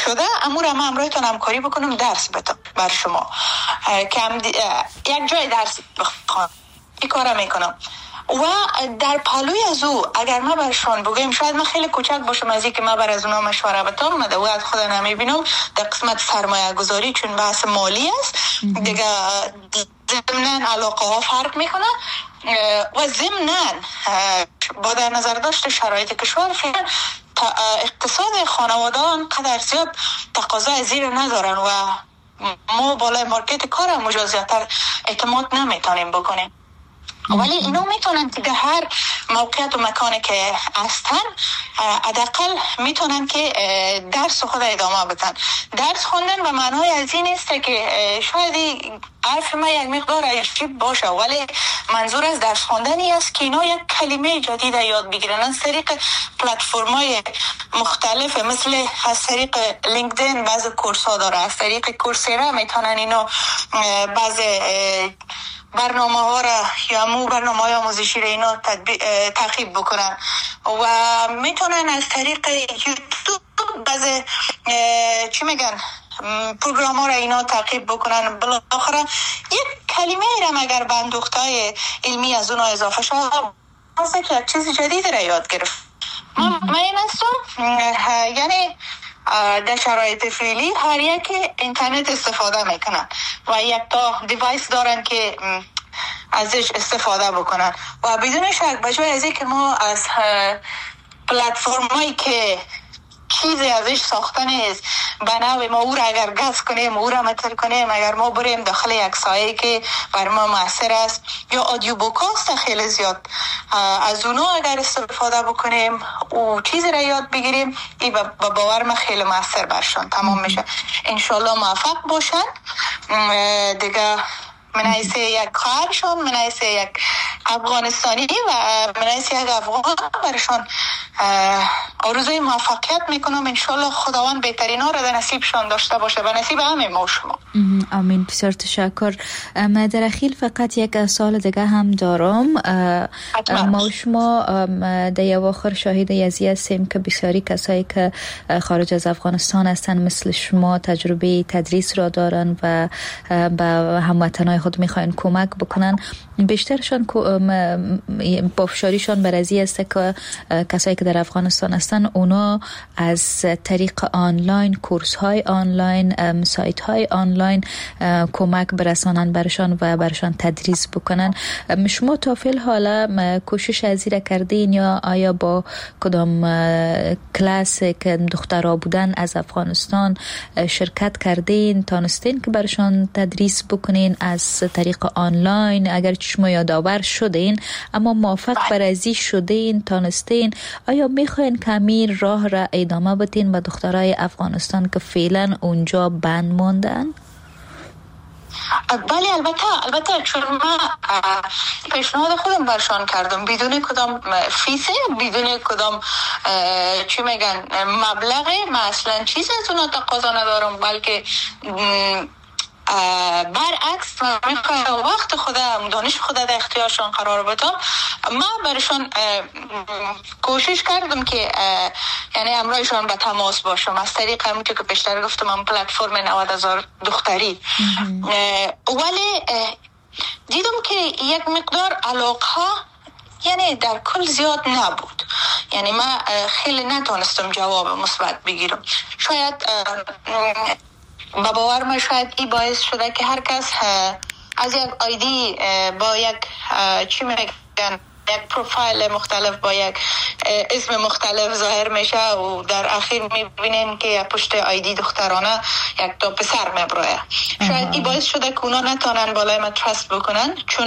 شده، امور ما همراهتون همکاری بکنم، درس بدم بر شما که یک جای درس بخوانم، این کارا میکنم. و در پالوی از او اگر ما برشان بگویم، شاید من خیلی کوچک باشم از اینکه من بر از اونا مشوره بدم، من از خود نمیبینم در قسمت سرمایه گذاری، چون بحث مالی است دیگه، ضمناً علاقه ها فرق میکنه و ضمناً با در نظر داشت شرایط کشور فعلا اقتصاد خانواده آنقدر زیاد تقاضا زیر ندارن و ما بالای مارکت کار هم زیادتر اعتماد نمیتونیم بکنیم. ولی اینا میتونن که در هر موقعیت و مکانی که هستن حداقل میتونن که درس خود ادامه بدن. درس خواندن به معنای از این نیست که شاید حرف من یک مقدار عجیب باشه، ولی منظور از درس خواندن این است که اینا یک کلمه جدید یاد بگیرن از طریق پلتفرم‌های مختلف، مثل از طریق لینکدین بعض course ها داره، از طریق کورسرا میتونن اینا بعض برنامه ها را یا مو برنامه های آموزشی را اینا تعقیب بکنن و میتونن از طریق یوتیوب بعض چی میگن پروگرام ها را اینا تعقیب بکنن. بالاخره یک کلمه را اگر بندوخت های علمی از اونا اضافه شد، که یک چیز جدید را یاد گرفت. من این هستم، یعنی در شرایط فعلی هر یک اینترنت استفاده میکنن و یک تا device دارن که ازش استفاده بکنن و بدون شک به جای از اینکه ما از پلتفرم هایی که چیزی ازش ساخته نیست به نوع ما او را اگر گز کنیم، او را متر کنیم، اگر ما بریم داخل یک سایه که بر ما مؤثر است یا audio book است خیلی زیاد از اونا اگر استفاده بکنیم و چیزی را یاد بگیریم، این به باور من خیلی مؤثر برشان تمام میشه. انشالله موفق باشن. دیگه من حیث یک خواهرشان، من حیث یک افغانستانی و من حیث یک افغان برشان آرزوی موفقیت میکنم. انشالله خداوند بهترین ها را در نصیبشان داشته باشه و نصیب همه ما و شما. آمین. بسیار تشکر. در اخیر فقط یک سوال دیگه هم دارم. ما و شما در اواخر شاهد ازی هستیم که بسیاری کسایی که خارج از افغانستان هستن مثل شما تجربه تدریس را دارن و به هموطنای خود میخواین کمک بکنن، بیشترشان پافشاریشان بر ازی است که کسایی که در افغانستان هستن اونا از طریق آنلاین، course های آنلاین، سایت های آنلاین کمک برسانن برشان و برشان تدریس بکنن. شما تا فعل حالا کوشش ازی را کردین یا آیا با کدام کلاس که دخترها بودن از افغانستان شرکت کردین، تانستین که برشان تدریس بکنین از طریق آنلاین؟ اگر شما یادآور شدین اما موافق بر ازی شدین، تانستین، آیا میخواین که همین راه را ادامه بدین به دخترای افغانستان که فعلا اونجا بند ماندن؟ بله البته، چون من پیشنهاد خودم برشان کردم بدون کدام فیس، بدون کدام چی میگن مبلغ، من اصلا چیز از اونا تقاضا ندارم، بلکه برعکس من میخوایم وقت خودم، دانش خود در اختیارشان قرار بدم. من برشان کوشش کردم که یعنی امرایشان به تماس باشم از طریق همونطور که پیشتر گفتم من پلتفرم 90,000 دختری، ولی دیدم که یک مقدار علاقه یعنی در کل زیاد نبود، یعنی من خیلی نتونستم جواب مثبت بگیرم. شاید با باور ما شاید این باعث شده که هر کس از یک ID با یک چی میگن یک پروفایل مختلف با یک اسم مختلف ظاهر میشه و در اخیر میبینیم که پشت ID دخترانه یک تا پسر میبرایه. شاید این باعث شده که اونا نتونن بالای ما trust بکنن، چون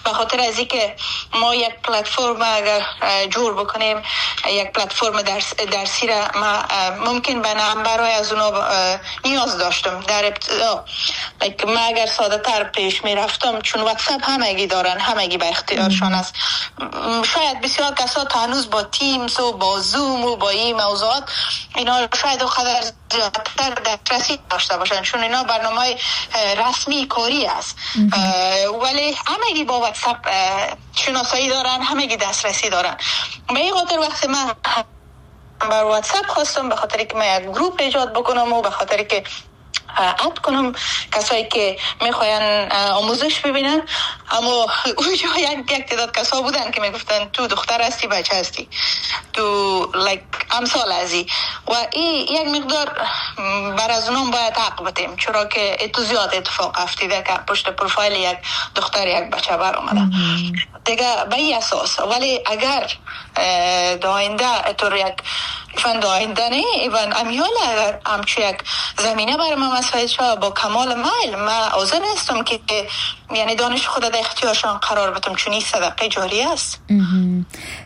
به خاطر از اینکه ما یک پلتفرم اگر جور بکنیم، یک پلتفرم درسی را ما ممکن به برای از اونا نیاز داشتم در ابتدا. ما اگر ساده تر پیش میرفتم، چون واتساپ همگی دارن، همگی به اختیارشان است، شاید بسیار کسا تا هنوز با Teams و با زوم و با این موضوعات اینا شاید اونقدر زیادتر دسترسی داشته باشن، چون اینا برنامه رسمی کاری است، ولی همگی با واتساپ شناسایی دارن، همگی دسترسی دارن. به این خاطر وقتی من بر واتساپ خواستم، به خاطر که من یک گروپ ایجاد بکنم و به خاطر که add کنم کسایی که میخواین آموزش ببینن، اما اونجا یک تعداد کسا بودن که میگفتن تو دختر هستی، بچه هستی، تو like امثال ازی، و این یک مقدار بر از اونم باید حق بدیم، چرا که تو زیاد اتفاق افتیده که پشت پروفایل یک دختر یک بچه بر آمده دیگه به این اساس. ولی اگر داینده تو یک فن آینده نه، ایون امیال اگر همچو یک زمینه برای من مساعد شد، با کمال میل من حاضر هستم که یعنی دانش خود در اختیارشان قرار بدم، چون این صدقه جاری است.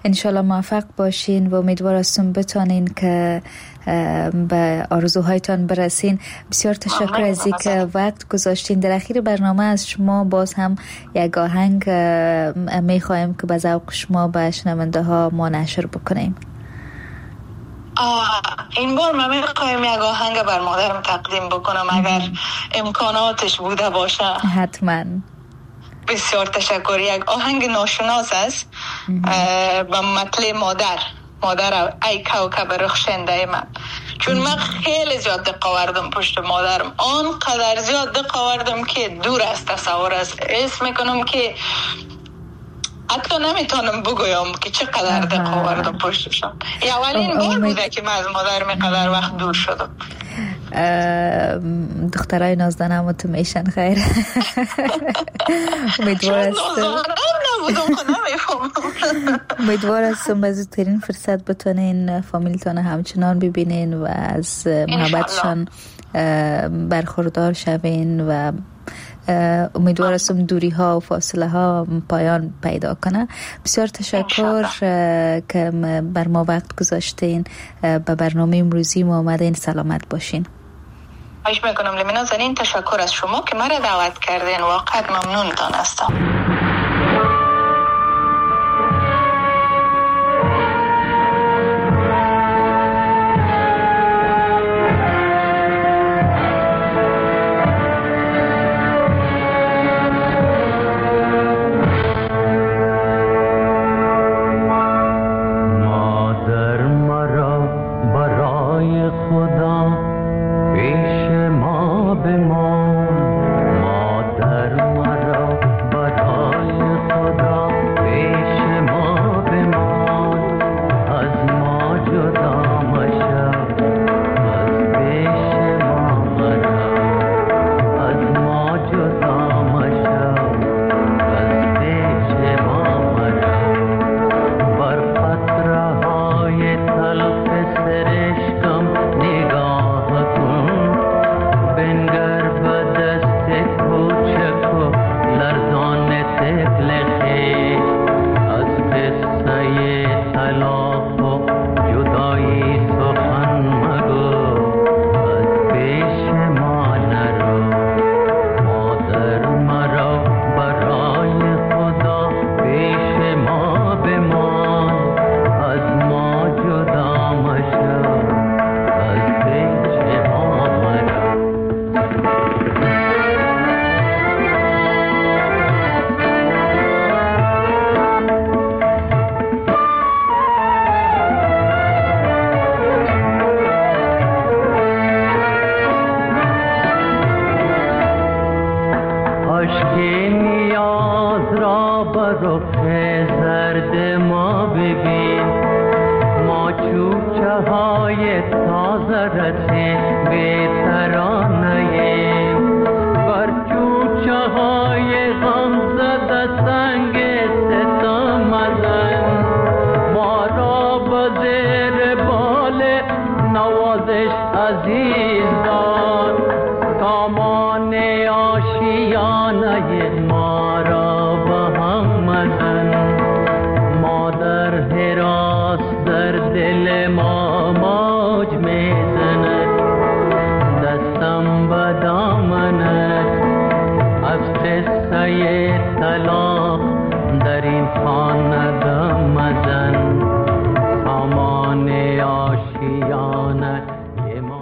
انشالله موفق باشین و امیدوار هستم بتانین که به آرزوهایتان برسین. بسیار تشکر از اینکه وقت گذاشتین. در اخیر برنامه از شما باز هم یک آهنگ میخوایم که به ذوق شما به شنونده ها ما نشر بکنیم. این بار من میخوایم یک آهنگ بر مادرم تقدیم بکنم اگر امکاناتش بوده باشه. حتما. بسیار تشکر. یک آهنگ ناشناس است با مطلع مادر، مادر ای کوکب رخشنده من، چون من خیلی زیاد دق آوردم پشت مادرم، آنقدر زیاد دق آوردم که دور از تصور است. اسم میکنم که حتی نمیتونم بگویم که چقدر دق آوردم پشتشم. اولین بار بوده که من از مادرم قدر وقت دور شدم. دخترای نازدانم تو میشن خیر. امیدوار هستم به زودترین فرصت بتونین فامیلتان همچنان ببینین و از محبتشان برخوردار شوین و امیدوار هستم دوری ها و فاصله ها پایان پیدا کنه. بسیار تشکر که بر ما وقت گذاشتین، به برنامه امروزی ما آمدین. سلامت باشین. خواهش میکنم لمینا زنین، تشکر از شما که مرا دعوت کردین، واقعا ممنونتان هستم. های تازه رسید به ترانه. یادش عزیز دار، سامان آشیانه ما را به هم مزن. مادر هراس در دل ما موج میزند، دستم به دامنت از قصه